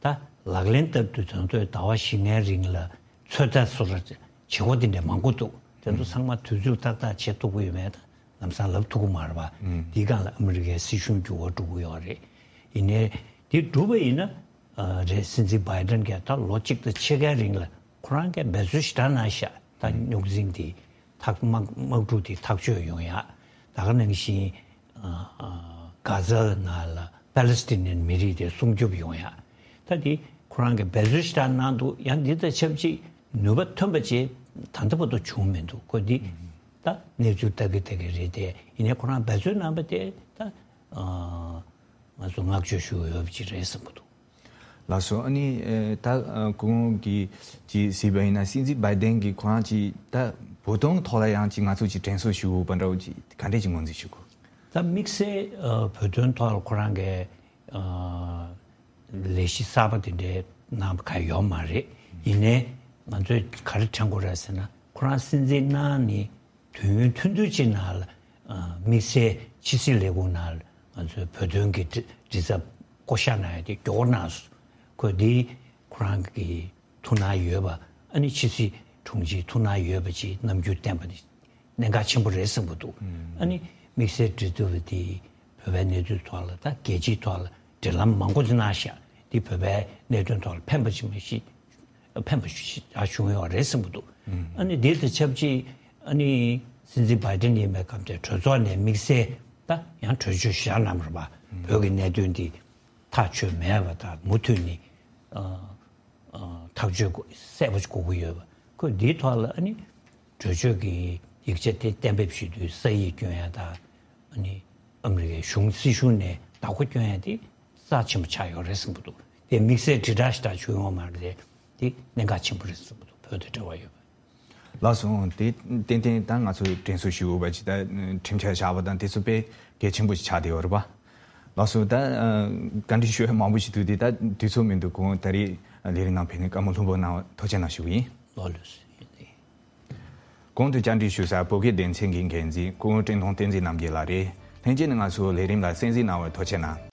ད་ལག་ལེན་བསྟར་དུས་ད་ལྟ་ཟླ་བ་བཞི་ལྔའི་རིང་ལ་ཚོད་ལྟ་སོ་སོ་བྱེད་སྒོ་དེ་འདྲ་མང་པོ་འདུག་དེ་ཚོ་ཚང་མ་དུས་ཚོད་ཏག་ཏག་བྱེད་ཐུབ་ཀྱི་ཡོད་མེད་ད་ལམ་སང་ལབ་ཐུབ་ཀྱི་མ་རེད་པ། འདིའི་སྒང་ལ་ཨ་མི་རི་ཀའི་སྲིད་གཞུང་འགྱུར་བ་འགྲོ་གི་ཡོད་རེད། ཡིན་ནའི་དེ་འགྲུབ་པ་ཡིན་ན་རེད། སྲིད་འཛིན་བྷའི་ཏན་གྱིས་ད་ལོ་གཅིག་དང་ཕྱེད་ཀའི་རིང་ལ་ཁོ་རང་གིས་འབད་རྩོལ་ཞེ་དྲག་གནང་ཤག་ད་རྙོག་འཛིང་དེ་ཐག་དམག་དམག་འཁྲུག་དེ་ཐག་གཅོད་ཡོང་ཡག་ད་ག་ནང་བཞིན་གྷ་ཛ་ནང་ལ་པ་ལེ་སི་ཏི་ནན་མི་རིགས་དེ་སྲུང་སྐྱོབ་ཡོང་ཡག་ད་དེ་ཁོ་རང་གིས་འབད་རྩོལ་ཞེ་དྲག་གནང་འདུག་ཡང་འདི་དང་ཆབས་ཅིག་ནུས་པ་ཐོན་པ་ཅིག་ད་ལྟ་བར་དུ་བྱུང་མི་འདུག་ཁོ་འདི་ད་གནས་ཚུལ་ལྟ་གི་ལྟ་གི་རེད་དེ། ཡིན་ནའི་ཁོ་རང་འབད་རྩོལ་གནང་པ་དེ་ད་ང་ཚོ་བསྔགས་བརྗོད་ཞུ་འོས་པ་ཅིག་རེད་བསམ་གྱི་འདུག་ལགས་སོ། ཨ་ནི་ཨེ་ད་ཨ་ཁོང་གིས་ཅིག་གཟིགས་པ་ཡིན་ན་སྲིད་འཛིན་བྷའི་ཏན་གྱིས་ཁོ་རང་ཅིག་ད་བོད་དོན་ཐོག་ལ་ཡང་ཅིག་ང་ཚོ་ཅིག་དྲན་གསོ་ཞུ་དགོས་པ་འདྲ་བོ་ཅིག་ག་འདྲས་ཅིག་ངོས་འཛིན་ཞུ་དགོས། ད་དམིགས་བསལ་ཨ་བོད་དོན་ཐོག་ལ་ཁོ་རང་གི་ཨ་ལས་གཞི་གསར་པ་དེ་འདྲའི་གནང་བ་གང་ཡོད་མ་རེད། ཡིན་ནའི་ང་ཚོས་ག་རེ་དྲན་དགོས་རེད་ཟེར་ན་ཁོ་རང་སྲིད་འཛིན་གནང་ནས། དུས་ཡུན་ཐུང་ཐུང་ཅིག་ནང་ལ་ཨ་དམིགས་བསལ་ཕྱི་སྲིད་ལས་ཁུངས་ནང་ལ་ང་ཚོའི་བོད་དོན་གྱི་མགྲིན་མགྲིན་ཚབ་བསྐོ་བཞག་གནང་ཡ་དེ་མགྱོགས་པོ་གནང་སོང་། ཁོས་འདི་ཁོ་རང་གི་ཐུགས་སྣང་ཡོད་པ་ཨ་ནི་ཕྱི་སྲིད་དྲུང་ཆེའི་ཐུགས་སྣང་ཡོད་པ་ཅིག་རྣམ་འགྱུར་བསྟན་པ་དེ་གནད་འགག་ཆེན་པོ་རེད་བསམ་གྱི་འདུག་ཨ་ནི་དམིགས་བསལ་མགྲིན་ཚབ་དེ་བོད་པའི་གནས་ཚུལ་ཐོག་ལ་ད་རྒྱལ་སྤྱིའི་ཐོག་ལ་འབྲེལ་ལམ་མང་པོ་ཅིག་གནང་ཤག་འདི་བོད་པའི་གནད་དོན་ཐོག་ལ་ཕན་པ་ཅིག་མ་གཞི། ཕན་པ་ཞེ་དྲག་བྱུང་ཡོད་རེད་བསམ་གྱི་འདུག་ཨ་ནི་དེ་དང་ཆབས་ཅིག་ཨ་ནི་སྲིད་འཛིན་བྷའི་ཏན་ཡིན་པའི་སྐབས་དེ་གྲོས་ཚོགས་ནས་དམིགས་བསལ་ད་ཡང་གྲོས་ཆོད་ཞིག་གནང་བ་རེད་པ། བོད་ཀྱི་གནད་དོན་འདི་ཐག་ཆོད་མེད་པ་དང་མུ་མཐུད་ནས་ཨ་ཨ་ཐག་གཅོད་དགོས་གསལ་པོ་ཞིག་དགོས་ཀྱི་ཡོད་པ། ཁོས་འདིའི་ཐོག་ལ་ཨ་ནི་གྲོས་ཆོད་ཀྱི་ཡིག་ཆ་དེ་གཏན་འབེབས་ཞུ་དུས་ས་ཡིག་སྐྱོན་ཡ་དང་ཨ་ནི་ཨ་མི་རི་ཀའི་གཞུང་སྲིད་གཞུང་ནས་བདག་པོ་སྐྱོན་ཡ་དེ་རྩ་ཆེན་པོ་ཆགས་ཡོད་རེད་བསམ་གྱི་འདུག་དེ་དམིགས་བསལ་དྲིལ་བསྒྲགས་ཞེ་དྲག་བྱུང་ཡོད་མ་རེད་དེ། དེ་གནད་འགག་ཆེན་པོ་རེད་བསམ་གྱི་འདུག་བོད་དང་འབྲེལ་བ་ཡོད་པ། ལགས་སོ། དེ་ཏན་ཏན་ད་ང་ཚོས་དྲན་གསོ་ཞུ་དགོས་པ་ཅིག་ད་ཁྲིམས་འཆར་བཞག་པ་དང་དེ་ཚོ་དཔེ་གལ་ཆེན་པོ་ཞིག་ཆགས་བསྡད་ཡོད་རེད་པ། ལགས་སོ། ད་བཀའ་འདྲི་ཞུ་ཡ་མང་པོ་ཞིག་འདུག་དེ་ད་དུས་ཚོད་མི་འདུག་གོང་ད་རེས་ལས་རིམ་ནང་ཕེབས་ནས་བཀའ་མོལ་ལྷུག་པོ་གནང་བ་ཐུགས་རྗེ་གནང་ཞུ་གི་ཡིན། ལགས་ལགས་སོ། གོང་དུ་བཅར་འདྲི་ཞུ་ས་བོད་སྐད་སྡེ་ཚན་གྱི་འགན་འཛིན་སྐུ་ངོ་བཀྲས་མཐོང་བསྟན་འཛིན་རྣམ་རྒྱལ་ལགས་རེད། ལྷན་རྒྱས་ནས་ང་ཚོའི་ལས་རིམ་ལ་གསན་གཟིགས་གནང་བར་ཐུགས་རྗེ་གནང་།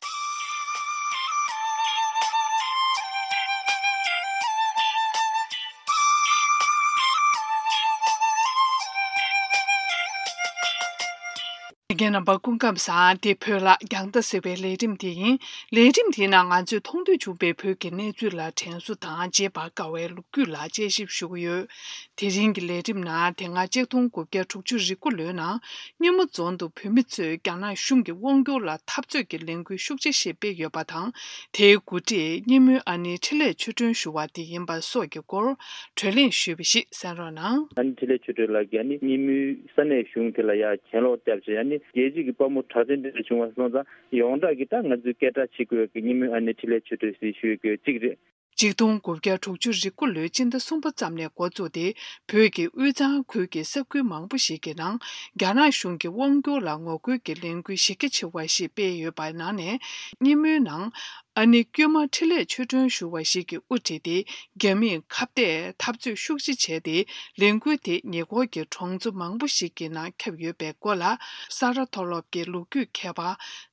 རྒན་རྣམ་པ་སྐུ་ཁམས་བཟང་། འདི་བོད་ལ་རྒྱང་ལྟ་ཟེར་བའི་ལས་རིམ་དེ་ཡིན། ལས་རིམ་དེའི་ནང་ང་ཚོས་མཐོང་ཐོས་བྱུང་བའི་བོད་ཀྱི་གནས་ཚུལ་ལ་དྲན་གསོ་དང་རྗེས་དཔག་དཀའ་བའི་ལོ་རྒྱུས་ལ་དཔྱད་ཞིབ་ཞུ་གི་ཡོད། དེ་རིང་གི་ལས་རིམ་ནང་དེ་སྔ་ཆིག་སྟོང་དགུ་བརྒྱ་དྲུག་ཅུ་རེ་དགུ་ལོའི་ནང་སྙེ་མོ་རྫོང་དུ་བོད་མི་ཚོས་རྒྱ་ནག་གཞུང་གི་དབང་བསྒྱུར་ལ་འཐབ་རྩོད་ཀྱི་ལས་འགུལ་ཤུགས་ཆེ་ཞིག་སྤེལ་ཡོད་པ་དང་། དེའི་འགོ་ཁྲིད་སྙེ་མོའི་ཨ་ནེ་འཕྲིན་ལས་ཆོས་སྒྲོན་ཞུ་བ་དེ་ཡིན་པ་སོགས་ཀྱི་སྐོར་བགྲོ་གླེང་ཞུས་པ་ཞིག་གསན་རོགས་གནང་། ཨ་ནེ་འཕྲིན་ལས་ཆོས་སྒྲོན་ལགས་ཀྱིས་ཨ་ནེ་སྙེ་མོའི་ས་གནས་གཞུང་དེ་ལ་ཡ་གྱེན་ལོག་བརྒྱབ་བྱས་ཨ་ནེ་རྒྱལ་སྤྱི་གི་དཔའ་མོ་དྲག་ཅན་དེ་འདྲ་བྱུང་བ་སོང་ཙང་ཡོངས་གྲགས་ཀྱི་ད་ང་ཚོའི་སྐད་གྲགས་ཆེ་དགོས་ཀྱི་སྙེ་མོའི་ཨ་ནེ་འཕྲིན་ལས་ཆོས་སྒྲོན་ཟེར་ཞུ་ཡོད་ཀྱི་གཅིག་རེད། ཆིག་སྟོང་དགུ་བརྒྱ་དྲུག་ཅུ་རེ་དགུ་ལོའི་སྤྱི་ཟླ་གསུམ་པ་ཙམ་ནས་འགོ་བཙུགས་ཏེ་བོད་ཀྱི་དབུས་གཙང་ཁུལ་གྱི་ས་ཁུལ་མང་པོ་ཞིག་གི་ནང་རྒྱ་ནག་གཞུང་གི་དབང་བསྒྱུར་ལ་ངོ་རྒོལ་གྱི་ལས་འགུལ་གཞི་རྒྱ་ཆེ་བ་ཞིག་སྤེལ་ཡོད་པའི་ནང་ནས་སྙེ་མོའི་ནང་ཨ་ནེ་ཀྱུ་མ་འཕྲིན་ལས་ཆོས་སྒྲོན་ཞུ་བ་ཞིག་གིས་དབུ་ཁྲིད་དེ་རྒྱ་མིས་ཁ་གཏད་འཐབ་རྩོད་ཤུགས་ཆེ་བྱས་ཏེ་ལས་འགུལ་དེ་ཉེ་འཁོར་གྱི་གྲོང་ཚོ་མང་པོ་ཞིག་གི་ནང་ཁྱབ་ཡོད་པའི་སྐོར་ལ་ས་རཱ་མཐོ་སློབ་ཀྱི་ལོ་རྒྱུས་མཁས་པ་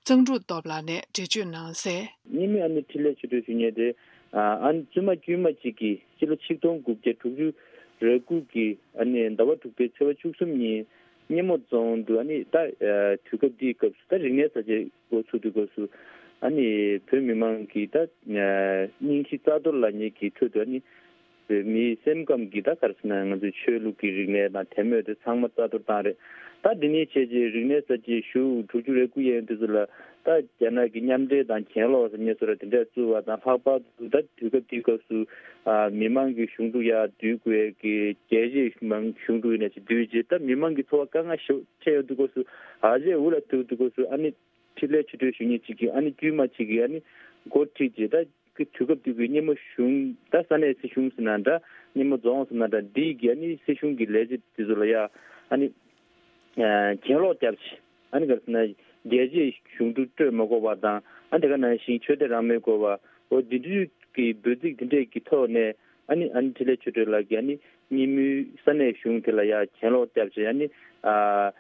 གཙང་ཕྲུག་སྟོབས་ལགས་ནས་འགྲེལ་བརྗོད་གནང་གསལ། སྙེ་མོའི་ཨ་ནེ་འཕྲིན་ལས་ཆོས་སྒྲོན་ཞུ་མཁན་དེ། ཨ་ནི་བཙུན་མ་དཀྱུས་མ་གཅིག་གིས་སྤྱི་ལོ་ཆིག་སྟོང་དགུ་བརྒྱ་དྲུག་ཅུ་རེ་དགུ་གི་ཨ་ནི་ཟླ་བ་དྲུག་པའི་ཚེས་པ་བཅུ་གསུམ་ཉིན་སྙེ་མོ་རྫོང་དུ་ཨ་ནི་ད་དུས་སྐབས་འདིའི་སྐབས་སུ་ད་རིག་གནས་གསར་བརྗེ་འགོ་ཚུགས་དུས་སྐབས་སུ་ཨ་ནི་བོད་མི་མང་གི་ད་སྙིང་གཞི་རྩ་གཏོར་ལབ་མཁན་གྱི་ཁྲོད་དུ་ཨ་ནི་ བོད་མིའི་སེམས་ཁམས་ཀྱི་ད་ག་རེ་ཟེར་ན་ང་ཚོའི་ཆོས་ལུགས་ཀྱི་རིག་གནས་དང་དད་མོས་དེ་ཚང་མ་རྩ་གཏོར་བཏང་རེད། ད་འདི་ནས་བྱས་རྗེས་རིག་གནས་གསར་བརྗེའི་གཞུག་དྲུག་ཅུ་རེ་དགུ་ཡན་དུས་ཚོད་ལ་ད་རྒྱ་ནག་གི་མཉམ་འབྲེལ་དང་གྱེན་ལོག་ཟེར་མཁན་བཟོ་འདྲ་དེ་འདྲས་བཙུགས་པ་དང་ལྷག་པར་དུ་ད་དུས་སྐབས་དེའི་སྐབས་སུ་ཨ་མི་མང་གི་གཞུང་དྲུག་ཡར་བསྡུ་དགོས་ཀྱི་རྒྱལ་གཅེས་མང་གཞུང་དྲུག་ཡིན་ན་ཞིག་བསྡུས་རྗེས་ད་མི་མང་གི་འཚོ་བ་དཀའ་ངལ་ཞིག་འཕྲད་ཡོང་དུས་སྐབས་སུ་ཨ་ཅེ་འུ་ལ་ཐུག་དུས་སྐབས་སུ་ཨ་ནི་འཕྲིན་ལས་ཆོས་སྒྲོན་ཞུ་མཁན་གཅིག་གིས་ཨ་ནི་དཀྱུས་མ་གཅིག་གིས་ཨ་ནི་འགོ་ཁྲིད་རྗེས་ད། གི་དུས་སྐབས་དེ་གའི་སྙེ་མོ་གཞུང་ད་ས་གནས་སྲིད་གཞུང་ཟེར་ན་འདྲ་སྙེ་མོ་རྫོང་ཟེར་ན་འདྲ་འདི་གི་ཨ་ནི་སྲིད་གཞུང་གི་ལས་བྱེད་དེ་ཚོ་ལ་ཡ་ཨ་ནི་གྱེན་ལོག་བརྒྱབ་ཆེ་ཨ་ནི་ག་རེ་ཟེར་ན་རྒྱལ་གཅེས་གཞུང་དྲུག་སྤྲོད་མ་དགོས་པ་དང་ཨ་དེ་ག་ནང་བཞིན་ཆོས་དད་རང་མོས་དགོས་པ་འོ་འདི་འདྲའི་གི་འབོད་ཚིག་དེ་འདྲས་ཀྱི་ཐོག་ནས་ཨ་ནི་ཨ་ནི་འཕྲིན་ལས་ཆོས་སྒྲོན་ལགས་ཀྱིས་ཨ་ནི་སྙེ་མོའི་ས་གནས་གཞུང་དེ་ལ་ཡ་གྱེན་ལོག་བརྒྱབ་ཆེ་ཨ་ནི་ཨ།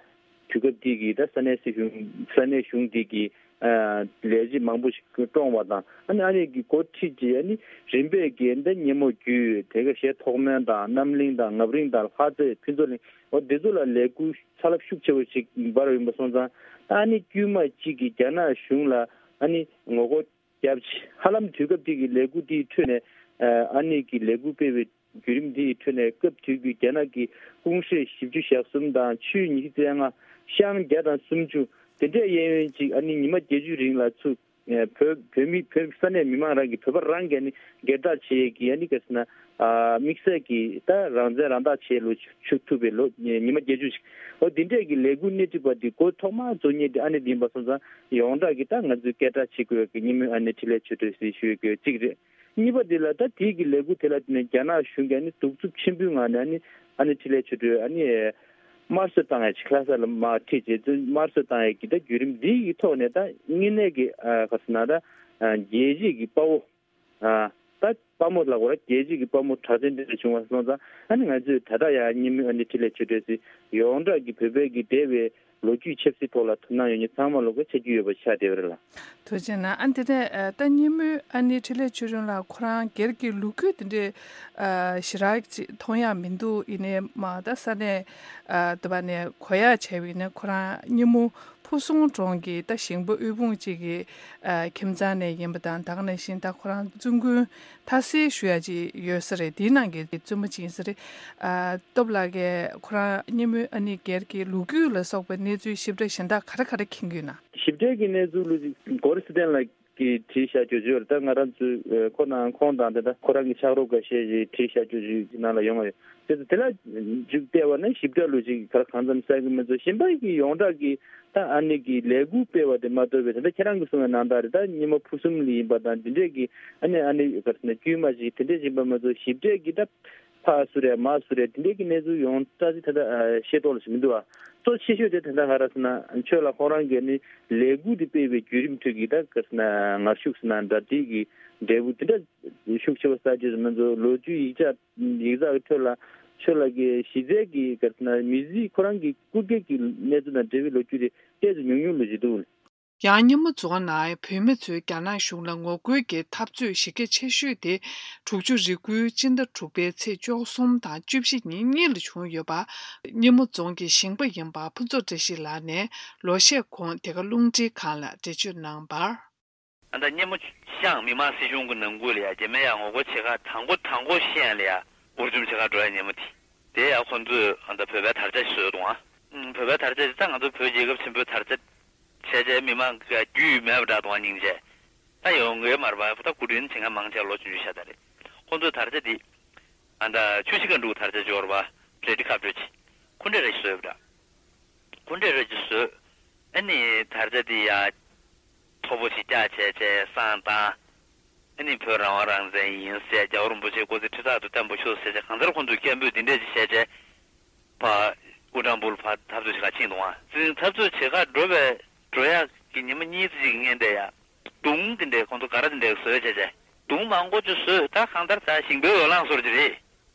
དུས་སྐབས་འདི་གི་ད་ས་གནས་སྲིད་གཞུང་ས་གནས་གཞུང་འདི་གི་ལས་བྱེད་མང་པོ་ཞིག་བཀྲོངས་པ་དང་ཨ་ནི་ཨ་ནི་གི་འགོ་ཁྲིད་ཀྱི་ཨ་ནི་རིམ་པས་ཀྱི་ད་སྙེ་མོ་རྒྱུད་དེ་ག་གཞས་ཐོག་མོན་དང་རྣམ་གླིང་དང་རྔ་རིང་དང་ལྷ་རྩེ་ཕུན་ཚོགས་གླིང་འོ་འདི་ཚོ་ལ་ལས་འགུལ་ཚ་རླབས་ཤུགས་ཆེ་བ་ཞིག་འབར་བ་ཡིན་པ་སོང་ཙང་ད་ཨ་ནི་དཀྱུས་མ་གཅིག་གི་རྒྱ་ནག་གཞུང་ལ་ཨ་ནི་ངོ་རྒོལ་རྒྱབ་ཆེ་ཧ་ལམ་དུས་སྐབས་དེ་གི་ལས་འགུལ་དེའི་ཁྲོད་ནས་ཨ་ནི་གི་ལས་འགུལ་སྤེལ་བའི་བརྒྱུད་རིམ་དེའི་ཁྲོད་ནས་སྐབས་དེ་གི་རྒྱ་ནག་གི་ཀུང་ཧྲེ་བཞི་བཅུ་ཞེ་གསུམ་དང་ཆུས་ཉི་ཤུ་རྩ་ལྔ་ཤང་བརྒྱ་དང་སུམ་ཅུ་དེ་འདྲས་གཡས་གཡོན་ཅིག་ཨ་ནི་ཉི་མ་བརྒྱད་ཅུའི་རིང་ལ་ཚུར་བོད་བོད་མི་བོད་ས་གནས་མི་མང་རང་གི་བོད་པ་རང་གི་ཨ་ནི་སྒེར་བདག་བྱེད་ཡས་ཀྱི་ཨ་ནི་ག་རེ་ཟེར་ན་དམིགས་བསལ་གྱི་ད་རང་བཙན་རང་བདག་བྱེད་ལོ་ཆུ་ཐུབ་པའི་ལོ་ཉི་མ་བརྒྱད་ཅུ་ཞིག་འོ་དེ་འདྲས་ཀྱི་ལས་འགུལ་སྣེ་ཁྲིད་པ་དེ་འགོ་ཐོག་མ་རྫོགས་མཁན་དེ་ཨ་ནི་དེ་ཡིན་པ་སོང་ཙང་ཡོངས་གྲགས་ཀྱི་ད་ང་ཚོས་སྐད་གྲགས་བྱེད་དགོས་ཀྱི་སྙེ་མོའི་ཨ་ནི་འཕྲིན་ལས་ཆོས་སྒྲོན་ཟེར་ཞུ་ཡས་ཀྱི་གཅིག་རེད། གཉིས་པ་དེ་ལ་ད་དེའི་གི་ལས་འགུལ་དེ་ལ་བརྟེན་ནས་རྒྱ་ནག་གཞུང་གིས་ཨ་ནི་གདུག་རྩུབ་ཆེན་པོའི་ངང་ནས་ཨ་ནི་ཨ་ནི་འཕྲིན་ལས་ཆོས་སྒྲོན་ཨ་ནི་དམར་གསོད་བཏང་ཡས་ཅིག་ལྷ་ས་ལ་མར་ཁྲིད་བྱས་ཚུལ་དམར་གསོད་བཏང་ཡས་ཀྱི་ད་བརྒྱུད་རིམ་འདི་ཡི་ཐོག་ནས་ད་དངོས་གནས་ཀྱི་ཨ་ག་ཟེར་ན་ད་ཨ་རྒྱལ་གཅེས་ཀྱི་དཔའ་བོ་ཨ་ད་དཔའ་མོ་ལ་གོ་ར་རྒྱལ་གཅེས་ཀྱི་དཔའ་མོ་གྲགས་ཅན་དེ་འདྲ་བྱུང་བ་སོང་ཙང་ཨ་ནི་ང་ཚོས་ད་ལྟ་ཡང་སྙེ་མོའི་ཨ་ནི་འཕྲིན་ལས་ཆོས་སྒྲོན་ཟེར་ཡོངས་གྲགས་ཀྱི་བོད་པའི་གི་འདས་པའི་ལོ་རྒྱུས་ཆབ་སྲིད་ཐོག་ལ་དོ་སྣང་ཡོད་མཁན་ཚང་མ་ལོ་ག་ཆ་རྒྱུས་ཡོད་པ་ཆགས་བསྡད་པ་རེད་ལ། ཐུགས་རྗེ་གནང་། ཨ་འདི་ནས་ཨ་ད་སྙེ་མོའི་ཨ་ནི་འཕྲིན་ལས་ཆོས་སྒྲོན་ལགས་ཁོ་རང་སྒེར་གྱི་ལོ་རྒྱུས་འདི་འདྲའི་ཨ་ཞེ་དྲག་ཅིག་མཐོང་ཡག་མི་འདུག་ཡིན་ནའི་མ་ད་ས་གནས་ཨ་དུ་བ་ནས་གོ་ཡག་བྱས་པ་ཡིན་ན་ཁོ་རང་སྙེ་མོ་ཕུ་སུང་གྲོང་གི་ད་ཞིང་པ་དབུལ་ཕོངས་གཅིག་གི་ཨ་ཁྱིམ་ཚང་ནས་ཡིན་པ་དང་ད་ག་ནང་བཞིན་ད་ཁོ་རང་བཙུན་དགོན་མཐའ་སེལ་ཞུ་ཡག་ཅིག་ཡོད་ས་རེད། དེའི་ནང་གི་བཙུན་མོ་གཅིག་ཡིན་ས་རེད། ཨ་སྟོབས་ལགས་ཀྱིས་ཁོ་རང་སྙེ་མོའི་ཨ་ནི་སྒེར་གྱི་ལོ་རྒྱུས་ལ་སོགས་པའི་གནས་ཚུལ་ཞིབ་ཕྲ་གཞན་དག་ག་རེ་ག་རེ་མཁྱེན་གྱི་ཡོད་ན། ཞིབ་ཕྲའི་གི་གནས་ཚུལ་ལོ་ཅིག་གོ་རི་སི་ཏན་ལགས་ཀྱིས་བྲིས་བཞག་རྒྱུ་ཅིག་ཡོད་རེད། ད་ང་རང་ཚོའི་ཁོ་ནང་ཁོང་དང་དེ་ད་ཁོ་རང་གི་ཕྱག་རོགས་འགའ་ཤས་ཀྱིས་བྲིས་བཞག་རྒྱུ་ཅིག་ནང་ལ་ཡོང་བ་ཡོད། དེ་ཚོ་དེ་ལ་འཇུག་བལྟས་པ་ན་ཞིབ་ཕྲ་ལོ་ཅིག་ག་རེ་གང་འཚམ་གསལ་གི་མི་འདུག་གཞན་པ་གི་ཡོངས་གྲགས་ཀྱི་ད་ཨ་ནི་གི་ལས་འགུལ་སྤེལ་བ་དེ་མ་གཏོགས་པའི་དེ་འདྲ་ཁྱེད་རང་གིས་གསུངས་པའི་ནང་ལྟར་རེད། ད་སྙེ་མོ་ཕུ་གསུམ་ལ་ཡིན་པ་དང་དེ་འདྲས་ཀྱི་ཨ་ནི་ཨ་ནི་ག་རེ་ཟེར་ན་དཀྱུས་མ་ཅིག་དེ་འདྲས་ཡིན་པ་མ་གཏོགས་ཞིབ་ཕྲའི་གི་ད་ཕར་སུ་རེད་མར་སུ་རེད་དེ་འདྲས་ཀྱི་གནས་ཚུལ་ཡོངས་གྲགས་ཅིག་ད་ལྟ་ཤེས་རྟོགས་ལ་ཞིག་མི་འདུག་ཨ། གཙོ་ཆེ་ཤོས་དེ་ད་ལྟ་ག་རེ་ཟེར་ན་ཁྱོད་ལ་ཁོང་རང་གིས་ཨ་ནི་ལས་འགུལ་དེ་སྤེལ་བའི་བརྒྱུད་རིམ་ཁྲོད་ཀྱི་ད་ག་རེ་ཟེར་ན་ངར་ཤུགས་ཟེར་ན་འདྲ་དེ་གི་འབྲས་བུ་དེ་འདྲ་ཤུགས་ཆེ་བ་གསར་བརྗེ་ཟེར་མི་ཚོ་ལོ་རྒྱུས་ཡིག་ཆ་ཡིག་ཚགས་ཀྱི་ཁྲོད་ལ་ཁྱོད་ལ་གི་གཞི་རྩའི་གི་ག་རེ་ཟེར་ན་མི་ཚེ་ཁོ་རང་གི་སྐུ་སྒེར་གྱི་གནས་ཚུལ་དང་འབྲེལ་བའི་ལོ་རྒྱུས་དེ་ཏོག་ཙམ་ཉུང་ཉུང་ལོས་ཅིག་འདུག་ཡང་སྙེ་མོ་རྫོང་ནང་བོད་མི་ཚོས་རྒྱ་ནག་གཞུང་ལ་ངོ་རྒོལ་གྱི་འཐབ་རྩོད་གཞི་རྒྱ་ཆེ་ཤོས་དེ་དྲུག་ཅུ་རེ་དགུའི་སྤྱི་ཟླ་དྲུག་པའི་ཚེས་བཅུ་གསུམ་དང་བཅུ་བཞི་ཉིན་གཉིས་ལ་བྱུང་ཡོད་པ། སྙེ་མོ་རྫོང་གི་ཞིང་པ་ཡིན་པ་ཕུན་ཚོགས་བཀྲ་ཤིས་ལགས་ནས་ལོ་ཤས་གོང་དེ་ག་རླུང་འཕྲིན་ཁང་ལ་འགྲེལ་བརྗོད་གནང་བར། ཨ་ད་སྙེ་མོ་ཤང་མི་དམངས་སྲིད་གཞུང་གི་ནང་ཁུལ་ལ་ཡ་རྗེས་མ་ཡ་ངོ་རྒོལ་བྱེད་ཁག་དང་པོ་དང་པོ་ཤེས་ཡ་ལ་ཡ་འུར་འཇུམ་བྱེད་ཁག་འགྲོ་ཡ་སྙེ་མོ་དེ། དེ་ཡ་ཁོ་ཚོས་ཨ་ད་བོད་པའི་དར་ཆ་ཞིག་བཟོས་འདུག་ཨ། ཨུམ་བོད་པའི་དར་ཆ་དེ་ད་ང་ཚོ་བོད་རྒྱལ་ཁབ་ཆེན་པོའི་དར་ཆ་བྱས་བྱས་མི་མང་གི་རྒྱུས་མེད་པ་འདྲ་འདུག་ཨ་སྙིང་རྗེ། ད་ཡོང་གི་མ་རེད་པ་ད་སྐུ་དྲིན་ཆེ་ང་མང་ཆེ་ལོ་ཆུང་ཆུང་ཤ་སྟག་རེད། ཁོ་ཚོའི་དར་ཆ་དེ་ཨ་ད་ཆུ་བཞི་སྒང་དྲུག་དར་ཆ་འབྱོར་བ་རེ་ཌི་ཁ་བྲོ་ཆེ་ཁུ་འབྲས་ར་ཞིག་བཟོས་པ་འདྲ། ཁུ་འབྲས་ར་ཅིག་བཟོས། ཨ་ནི་དར་ཆ་དེ་ཡ། མཐོ་པོ་ཞིག་བཀྱག་བྱས་བྱས་བསང་བཏང་། ཨ་ནི་བོད་རང་དབང་རང་བཙན་ཡིན་ཟེར་རྒྱལ་བ་རིན་པོ་ཆེ་སྐུ་ཚེ་ཁྲི་ཕྲག་ཏུ་བརྟན་པོ་ཤོག་ཟེར་བྱས་གང་ལྟར་ཁོང་ཚོས་སྐད་འབོད་འདི་འདྲས་ཅིག་བྱས་བྱས། ཕར་དབུ་སྦྲང་བུ་ལ་ཕར་འཐབ་རྩོད་བྱེད་ག་ཕྱིན་འདུག་ཨ། འཛིང་འཐབ་རྩོད་བྱེད་ག་འགྲོ་བའི་འགྲོ་ཡག་གི་ཉི་མ་གཉིས་ཙམ་ཅིག་གི་སྔོན་དེ་ཡ། གདུང་འདི་འདྲས་ཁོང་ཚོ་ག་ར་འདི་འདྲས་བཟོས་བྱས་བྱས། གདུང་མང་པོ་ཅིག་བཟོས་ད་གང་ལྟར་ད་ཞིང་པའི་འོས་ལངས་བཟོ་འདྲ་ཅིག་རེད།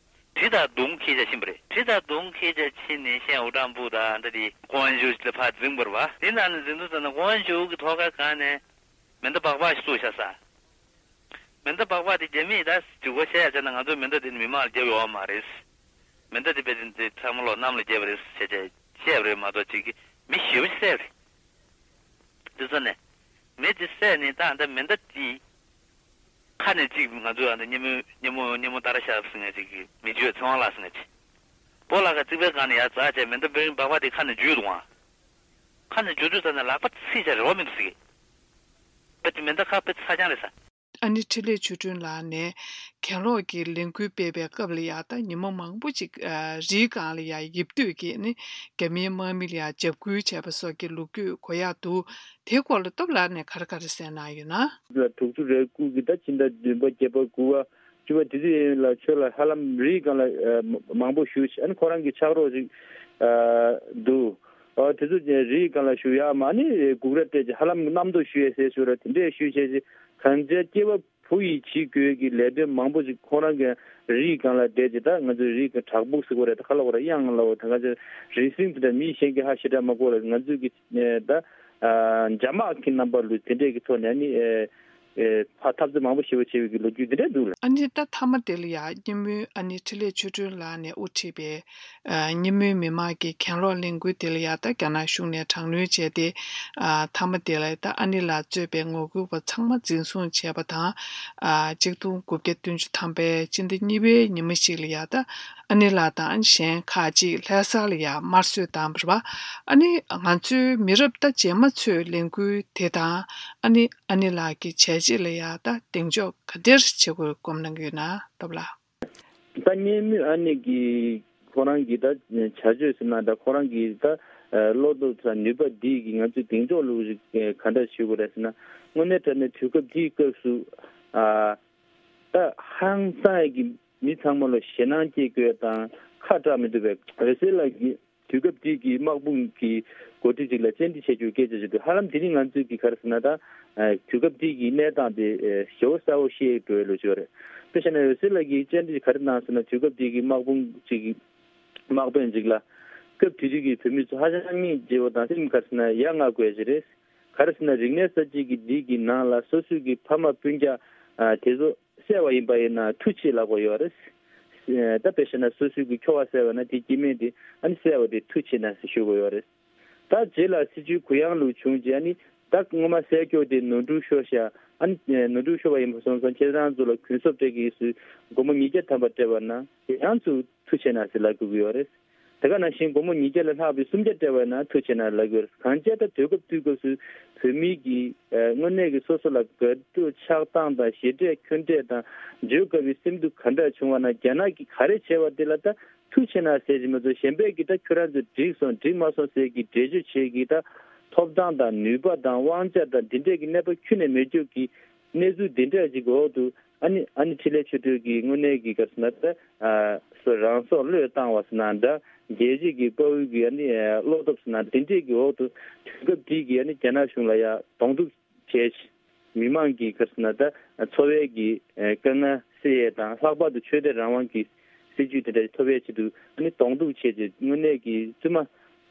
གྲི་དང་མདུང་འཁྱེར་བྱས་ཕྱིན་པ་རེད། གྲི་དང་མདུང་འཁྱེར་བྱས་ཕྱིན་ནས་ཤན་དབུ་སྦྲང་བུ་དང་འདྲ་དེ་ཀོང་ཝན་ཅུའུ་ལ་ཕར་འཛིངས་པ་རེད་པ། དེ་ནང་ནས་འཛིང་དུས་ཙམ་ན་ཀོང་ཝན་ཅུའུ་གི་ཐོག་ཁ་སྒང་ནས་མེ་མདའ་སྦག་སྦག་ཞིག་བཙུགས་བཞག་ས། མེ་མདའ་སྦག་སྦག་དེ་རྒྱ་མིས་ད་འཇུག་པ་བྱས་ཡ་བྱས་ན་ང་ཚོའི་མེ་མདའ་དེ་ནི་མི་མང་ལ་བརྒྱབ་ཡོད་མ་རེད། མེ་མདའ་དེ་དཔེ་དེ་ཚང་མ་ལོག་གནམ་ལ་བརྒྱབ་པ་རེད་བྱས་བྱས་བཤད་པ་རེད་མ་གཏོགས་ཅིག་གི་མི་ཞེ་པོ་ཅིག་བསད་པ་རེད། དེ་ཚོ་ནས་མི་དེ་བསད་ནས་ད་ད་མེ་མདའ་དེ། ཁ་ནས་གཅིག་ང་ཚོས་ཨ་ནི་སྙེ་མོ་སྙེ་མོ་སྙེ་མོ་ཏཱ་ར་ཤ་ཟེར་མཁན་ཅིག་མི་འཇུ་བའི་ཚེ་དབང་ལགས་ཟེར་མཁན་ཅིག་སྤོ་ལགས་ཀྱིས་རྩིག་པའི་སྒང་ནས་ཡར་འཛེགས་བྱས་མེ་མདའ་འབེན་སྦག་སྦག་དེ་ཁ་ནས་འཇུས་འདུག་ཨང་། ཁ་ནས་འཇུ་དུས་ཙམ་ནས་ལག་པ་ཚིག་བྱས་རེ་བ་མི་འདུག་ཟེར་གི། པ་དེ་མེ་མདའ་ཁ་དཔེ་ཚ་རྐྱང་རེད་ས། ཨ་ནི་འཕྲིན་ལས་ཆོས་སྒྲོན་ལགས་ནས་གྱེན་ལོག་གི་ལས་འགུལ་སྤེལ་བའི་སྐབས་ལ་ཡ་ད་ཉིན་མོ་མང་པོ་ཅིག་ཨ་རིའི་སྒང་ལ་ཡ་ཡིབ་སྡོད་ཀྱིས་ནི་རྒྱ་མིའི་དམག་མི་ལ་ཡ་འཇབ་རྒོལ་བྱས་པ་སོགས་ཀྱི་ལོ་རྒྱུས་གོ་ཡག་འདུག་དེའི་སྐོར་ལ་སྟོབས་ལགས་ནས་ག་རེ་ག་རེ་གསན་གནང་ཡོད་ན། ལ་དྲུག་ཅུ་རེ་དགུ་གི་ཟླ་ཕྱི་ཟླ་བདུན་པ་བརྒྱད་པ་དགུ་པ་བཅུ་པ་དེ་ཚོ་ཡིན་ལ་ཆོས་ལ་ཧ་ལམ་རིའི་སྒང་ལ་ཨ་མང་པོ་བཞུགས་ཤིང་ཨ་ནི་ཁོ་རང་གི་ཕྱག་རོགས་ཅིག་ཨ་འདུག་ཨ་དེ་ཚོ་རིའི་སྒང་ལ་བཞུགས་ཡག་མ་ནི་སྒུག་ར་སྤྲད་ཅིག་ཧ་ལམ་རྣམ་རྟོག་ཞུ་ཡས་ཟེར་ཞུ་ར་དེ་འདྲས་ཞུས་བྱས་ཅིག་གང་ཅི་སྐྱེ་བ་བུ་ཡིས་བྱེད་དགོས་ཀྱི་ལས་དོན་མང་པོ་ཞིག་ཁོ་རང་གི་རིའི་སྒང་ལ་བསྡད་ཅིག་ད་ང་ཚོའི་རིའི་སྒང་བྲག་ཕུག་ཟེར་གོ་རེད། ད་ག་ལ་གོ་རེད་གཡང་ལ་འོ་ད་ང་ཚོའི་རིག་འཛིན་དེ་འདྲ་མི་གཞན་གྱིས་ཧ་ཞེ་དྲག་མ་གོ་རེད། ང་ཚོའི་གི་ད་འཇབ་དམག་གི་རྣམ་པ་ལུས་དེ་འདྲས་ཀྱི་ཐོག་ནས་ནི་ཕར་འཐབ་རྩོད་མང་པོ་ཞེ་པོ་བྱེད་པའི་གི་ལོ་རྒྱུས་དེ་འདྲས་འདུག་ལ། ཨ་ནི་ད་མཐའ་མ་དེ་ལ་ཡ་སྙེ་མོའི་ཨ་ནི་འཕྲིན་ལས་ཆོས་སྒྲོན་ལགས་ནས་དབུ་ཁྲིད་པའི་སྙེ་མོའི་མི་མང་གི་གྱེན་ལོག་ལས་འགུལ་དེ་ལ་ཡ་ད་རྒྱ་ནག་གཞུང་ནས་དྲག་གནོན་བྱས་ཏེ། མཐའ་མ་དེ་ལ་ད་ཨ་ནེ་ལགས་གཙོས་པའི་ངོ་རྒོལ་བ་ཚང་མ་འཛིན་བཟུང་བྱས་པ་དང་། གཅིག་སྟོང་དགུ་བརྒྱ་བདུན་ཅུ་ཐམ་པའི་སྤྱི་ཟླ་གཉིས་པའི་ཉི་མ་ཞིག་ལ་ཡ་ད་ཨ་ནེ་ལགས་དང་གཞན་ཁག་ཅིག་ལྷ་ས་ལ་ཡ་དམར་གསོད་བཏང་བ་རེད་པ། ཨ་ནི་ང་ཚོའི་མི་རབས་ད་རྗེས་མ་ཚོས་ལས་འགུལ་དེ་དང་ཨ་ནེ་ཨ་ནེ་ལགས་ཀྱི་བྱས་རྗེས་ལ་ཡ་ད་གདེང་འཇོག་ག་འདྲ་བྱེད་དགོས་སྐོར་གནང་གི་ཡོད་ན་སྟོབས་ལགས། ད་སྙེ་མོའི་ཨ་ནེ་གི་ཁོ་རང་གི་ད་བྱ་སྤྱོད་ཟེར་ན་ད་ཁོ་རང་གི་ད་བློ་སྟོབས་དང་ནུས་པ་འདི་གིས་ང་ཚོས་གདེང་འཇོག་ལུགས་ཤིག་ག་འདྲ་ཞུ་དགོས་རེད་ཟེར་ན། དངོས་གནས་དྲང་གནས་དུས་སྐབས་འདིའི་སྐབས་སུ་ཨ་ད་ཧང་སངས་ཀྱི་མི་ཚང་མ་ལ་ཞེད་སྣང་སྐྱེ་དགོས་དང་ཁ་གྲག་མི་འདུག་པས། འོད་ཟེར་ལགས་ཀྱིས་དུས་སྐབས་འདི་གི་དམག་དཔུང་གི་འགོ་ཁྲིད་ཅིག་ལ་བཅར་འདྲི་བྱེད་རྒྱུ་སྐད་ཆ་ཞིག་འདུག་ཧ་ལམ་དེ་ནི་ང་ཚོས་ཀྱི་ག་རེ་ཟེར་ན་ད་དུས་སྐབས་འདི་གི་གནས་སྟངས་དེ་ཞེ་པོ་གསལ་པོ་ཤེས་འགྲོ་བའི་ལོ་ཅིག་ཡོད་རེད། དཔེ་བཞག་ན་འོད་ཟེར་ལགས་ཀྱིས་བཅར་འདྲི་ག་རེ་གནང་ཟེར་ན་དུས་སྐབས་འདི་གི་དམག་དཔུང་ཅིག་གི་དམག་དཔོན་ཅིག་ལ་སྐབས་དེ་དུས་ཀྱི་བོད་མི་ཚོ་ཧ་ཅང་སྙིང་རྗེ་བོ་དང་སེམས་ག་རེ་ཟེར་ན་ཡ་ང་དགོས་ཅིག་རེད། ག་རེ་ཟེར་ན་རིག་གནས་གསར་བརྗེ་གི་འདི་གི་ནང་ལ་སོ་སོའི་གི་ཕ་མ་སྤུན་ཀྱག་དེ་ཚོ་བསད་པ་ཡིན་པ་ཡིན་ན་ཐུགས་ཆེ་ལབ་དགོས་ཡོད་རེད། ད་དཔེ་བཤད་ན་སོ་སོའི་གི་ཁྱོ་ག་བསད་པ་ན་དེ་སྐྱེ་དམན་དེ་ཨ་ནི་བསད་པ་དེ་ཐུགས་ཆེ་ན་ཟེར་ཞུ་དགོས་ཡོད་རེད། ད་རྗེས་ལ་སྲིད་བྱུས་གུ་ཡངས་ལུགས་བྱུང་རྗེས་ཨ་ནི་ད་སྔོན་མ་བསད་ཁྱོ་དེ་ནོར་འཁྲུལ་ཤོར་ཤག་ཨ་ནི་ནོར་འཁྲུལ་ཤོར་བ་ཡིན་པ་སོང་ཙང་ཁྱེད་རང་ཚོ་ལ་གུན་གསབ་སྤྲད་ཀྱི་ཡིན་ཟེར་སྒོར་མོ་ཉིས་བརྒྱ་ཐམ་པ་སྤྲད་པ་ན་དེ་ཡང་ཚུར་ཐུགས་ཆེ་ན་ཟེར་ལབ་དགོས་ཀྱི་ཡོད་རེད། དེ་ག་ནང་བཞིན་སྒོར་མོ་ཉིས་བརྒྱ་ལས་ལྷག་པའི་སུམ་བརྒྱ་སྤྲད་པ་ན་ཐུགས་ཆེ་ན་ལབ་ཀྱི་ཡོད་རེད། གང་བྱས་ད་དུས་སྐབས་དུས་སྐབས་སུ་བོད་མི་གི་ཨ་དངོས་གནས་ཀྱི་སོ་སོ་ལ་དགའ་སྤྲོ་ཆགས་སྡང་དང་ཞེ་འགྲས་ཁྱོན་འགྲས་དང་བརྗོད་དཀའ་བའི་སེམས་སྡུག་ག་འདྲ་བྱུང་བ་ན་རྒྱ་ནག་གིས་ག་རེ་བྱས་པ་དེ་ལ་ད་ཐུགས་ཆེ་ན་ཟེར་གྱི་མ་གཏོགས་གཞན་པས་ཀྱིས་ད་ཁྱོད་རང་ཚོ་འགྲིག་སོང་འགྲིག་མ་སོང་ཟེར་གྱི་འགྲེལ་བརྗོད་བྱེད་ཀྱི་ད་ཐོབ་ཐང་དང་ནུས་པ་དང་དབང་ཆ་དང་འདི་འདྲས་ཀྱི་གནས་བབ་ཁྱོན་ནས་མེད་རྒྱུ་གི་གནས་ཚུལ་འདི་འདྲ་ཅིག་གི་འོག་ཏུ་ཨ་ནི་ཨ་ནི་འཕྲིན་ལས་ཆོས་སྒྲོན་གྱིས་དངོས་གནས་ཀྱི་ག་རེ་ཟེར་ན་ད་ཨ་སོ་རང་སྲོག་བློས་བཏང་བ་ཟེར་ན་འདྲ་རྒྱལ་གཅེས་ཀྱི་དཔའ་བོའི་གི་ཨ་ནི་ཨ་བློ་སྟོབས་ཟེར་ན་དེ་འདྲས་ཀྱི་འོག་ཏུ་དུས་སྐབས་འདི་གི་ཨ་ནི་རྒྱ་ནག་གཞུང་ལ་ཡ་གདོང་གཏུག་བྱས་མི་མང་གི་ག་རེ་ཟེར་ན་ད་འཚོ་བའི་གི་ཨ་དཀའ་ངལ་སེལ་ཡས་དང་ལྷག་པར་དུ་ཆོས་དད་རང་དབང་གི་སྲིད་ཇུས་དེ་འདྲ་ཐོབ་ཡས་ཆེད་དུ་ཨ་ནི་གདོང་གཏུག་བྱས་རྗེས་དངོས་གནས་ཀྱི་བཙུན་མ་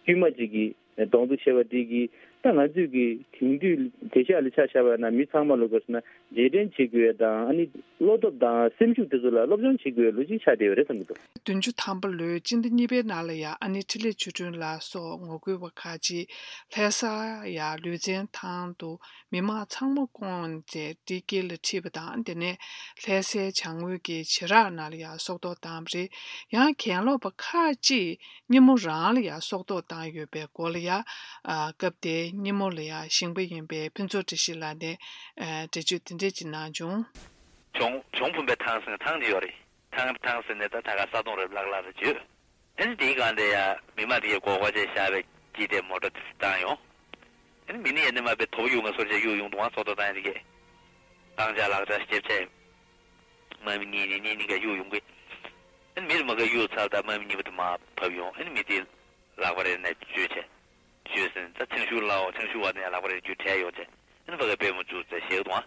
དཀྱུས་མ་ཅིག་གིས་གདོང་གཏུག་བྱས་པ་འདི་གིས་ད་ང་ཚོས་ཀྱི་དེང་དུས་དེང་སང་ལ་ཆ་བཞག་པ་ན་མི་ཚང་མ་ལོ་དགའ་སོང་ན་རྗེས་དྲན་བྱེད་དགོས་དང་ཨ་ནི་བློ་སྟོབས་དང་སེམས་ཤུགས་དེ་ཚོ་ལ་སློབ་སྦྱོང་བྱེད་དགོས་ལོ་གཅིག་ཆགས་བསྡད་ཡོད་རེད་བསམ་གྱི་འདུག་བདུན་ཅུ་ཐམ་པ་ལོའི་སྤྱི་ཟླ་གཉིས་པའི་ནང་ལ་ཡང་ཨ་ནེ་འཕྲིན་ལས་ཆོས་སྒྲོན་ལགས་སོགས་ངོ་རྒོལ་བ་ཁག་ཅིག་ལྷ་ས་ཡ་ལུས་རྩལ་ཐང་དུ་མི་མང་ཚང་མ་བསྐོངས་ཏེ་བཀྲ་ཤིས་ལ་ཁྲིད་པ་དང་དེ་ནས་ལྷ་སའི་བྱང་ངོས་ཀྱི་བྱེ་བྲག་ནང་ལ་ཡང་སྲོག་ཐོག་བཏང་བ་རེད། ཡང་གྱེན་ལོག་པ་ཁག་ཅིག་སྙེ་མོ་རང་ལ་ཡང་སྲོག་ཐོག་བཏང་ཡོད་པའི་སྐོར་ལ་ཡང་ཨ་སྐབས་དེའི་སྙེ་མོ་ལ་ཡང་ཞིང་པ་ཡིན་པའི་ཕུན་ཚོགས་བཀྲ་ཤིས་ལགས་ནས་ཨ་འགྲེལ་བརྗོད་དེ་འདྲས་ཅིག་གནང་བྱུང་། གྱོང་གྱོང་ཕུང་པའི་ཐང་ཟེར་ཐང་དེ་ཡོད་རེད། ཐང་ཐང་ཟེར་ནས་ད་ད་ག་ས་དོང་རེད་ལག་ལག་རེད་བརྗོད། ཨ་ནི་དེའི་སྒང་དེ་ཡང་མི་མང་དེ་གས་སྒོར་སྒོར་བྱས་བཞག་པའི་ཀྱི་དེ་མོ་ཊ་དེ་བཏང་ཡོང་། ཨ་ནི་མི་ནི་ཡ་ནི་མ་པའི་དོ་པོ་གཡུག་ང་སོར་བྱས་གཡུག་ཡོང་དུས་ང་སྲོག་ཐོག་བཏང་ཡ་དེ་གས། བཏང་བྱ་ལག་ཆ་ཞིབ་བྱས། དམག་མི་གཉིས་ནི་གཉིས་གཉིས་ཀ་གཡུག་ཡོང་གི། ཨ་ནི་མི་རེ་མ་ག་གཡུག་ཚར་ད་དམག་མི་གཉིས་པ་དེ་མར་བབས་ཡོང་། ཨ་ནི་མི་དེ་ལག་པ་རེ་ནས་གཅོད་བྱས། གཅོད་ཟིན་ད་ཚེམ་ཤུགས་ལའོ་ཚེམ་ཤུགས་བ་ནས་ལག་པ་རེ་རྒྱུ་བྲལ་ཡོང་བྱས། ཨ་ནི་ཕ་གའི་པུས་མོ་བཙུགས་ཚེ་ཞེད་དུ་ཨ།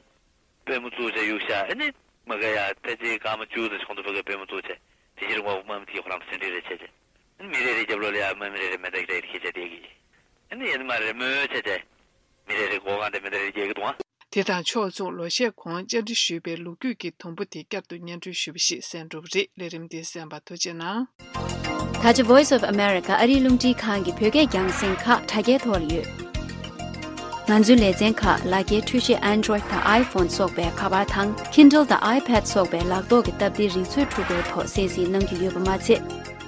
པུས་མོ་བཙུགས་བྱས་གཡུག་ཤག་ཨ་ནི་མ་ག་ཡ་ཕལ་ཆེར་སྐར་མ་བཅུ་ཙམ་ཞིག་གོང་དུ་ཕ་གའི་པུས་མོ་བཙུགས་བྱས་དེ་ཕྱིར་ངོ་དམག་མི་དེ་ཁོ་རང་ཚོ་ཟིན་བྲིས་རེ་བྱས་བྱས། ཨ་ནི་མི་རེ་རེ་རྒྱབ་ལོགས་ལ་ཡ་དམག་མི་རེ་རེ་མེ་མདའ་རེ་ཁྱེར་བྱས་བསྡད་ཀྱི། ཨ་ནི་ཡ་ནི་མ་རེ་མོས་བྱས་བྱས། མི་རེ་རེ་སྒོ་ཁང་དེ་མེ་མདའ་རེ་རྒྱག་གི་འདུག་ཨ། དེ་དང་ཕྱོགས་མཚུངས་ལོ་ཤས་གོང་བཅར་འདྲི་ཞུས་པའི་ལོ་རྒྱུས་ཀྱི་དུམ་བུ་དེ་བསྐྱར་དུ་སྙན་སྒྲོན་ཞུས་པ་ཞིག་གསན་གྲུབ་རེད། ལས་རིམ་འདི་གསན་པར་ཐུགས་རྗེ་གནང་། ད་ཆ་Voice of America ཨ་རིའི་རླུང་འཕྲིན་ཁང་གི་བོད་སྐད་རྒྱང་སྲིང་ཁག་དྲ་རྒྱའི་ཐོག་ལ་ཡོད། ང་ཚོའི་ལེ་ཚན་ཁག་ལག་འཁྱེར་འཕྲུལ་ཆས་Android་དང་iPhone་སོགས་པའི་ཁ་པར་དང་Kindle་དང་iPad་སོགས་པའི་ལག་ཐོག་གི་སྟབས་བདེའི་རིག་མཛོད་འཕྲུལ་འཁོར་ཐོག་གསན་གཟིགས་གནང་རྒྱུ་ཡོད་པ་མ་ཚད།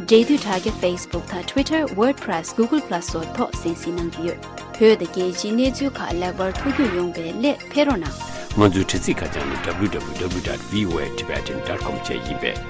འབྲེལ་མཐུད་དྲ་རྒྱ་Facebook་དང་Twitter WordPress Google Plus སོགས་ཐོག་གསན་གཟིགས་གནང་རྒྱུ་ཡོད། བོད་དང་རྒྱལ་སྤྱིའི་གནས་ཚུལ་ཁག་ལེགས་པར་ཐུགས་རྒྱུས་ཡོང་བའི་སླད་ཕེབས་རོགས་གནང་། ང་ཚོའི་དྲ་ཚིགས་ཁ་བྱང་ནི་W W W dot V O A Tibetan dot com བཅས་ཡིན་པས།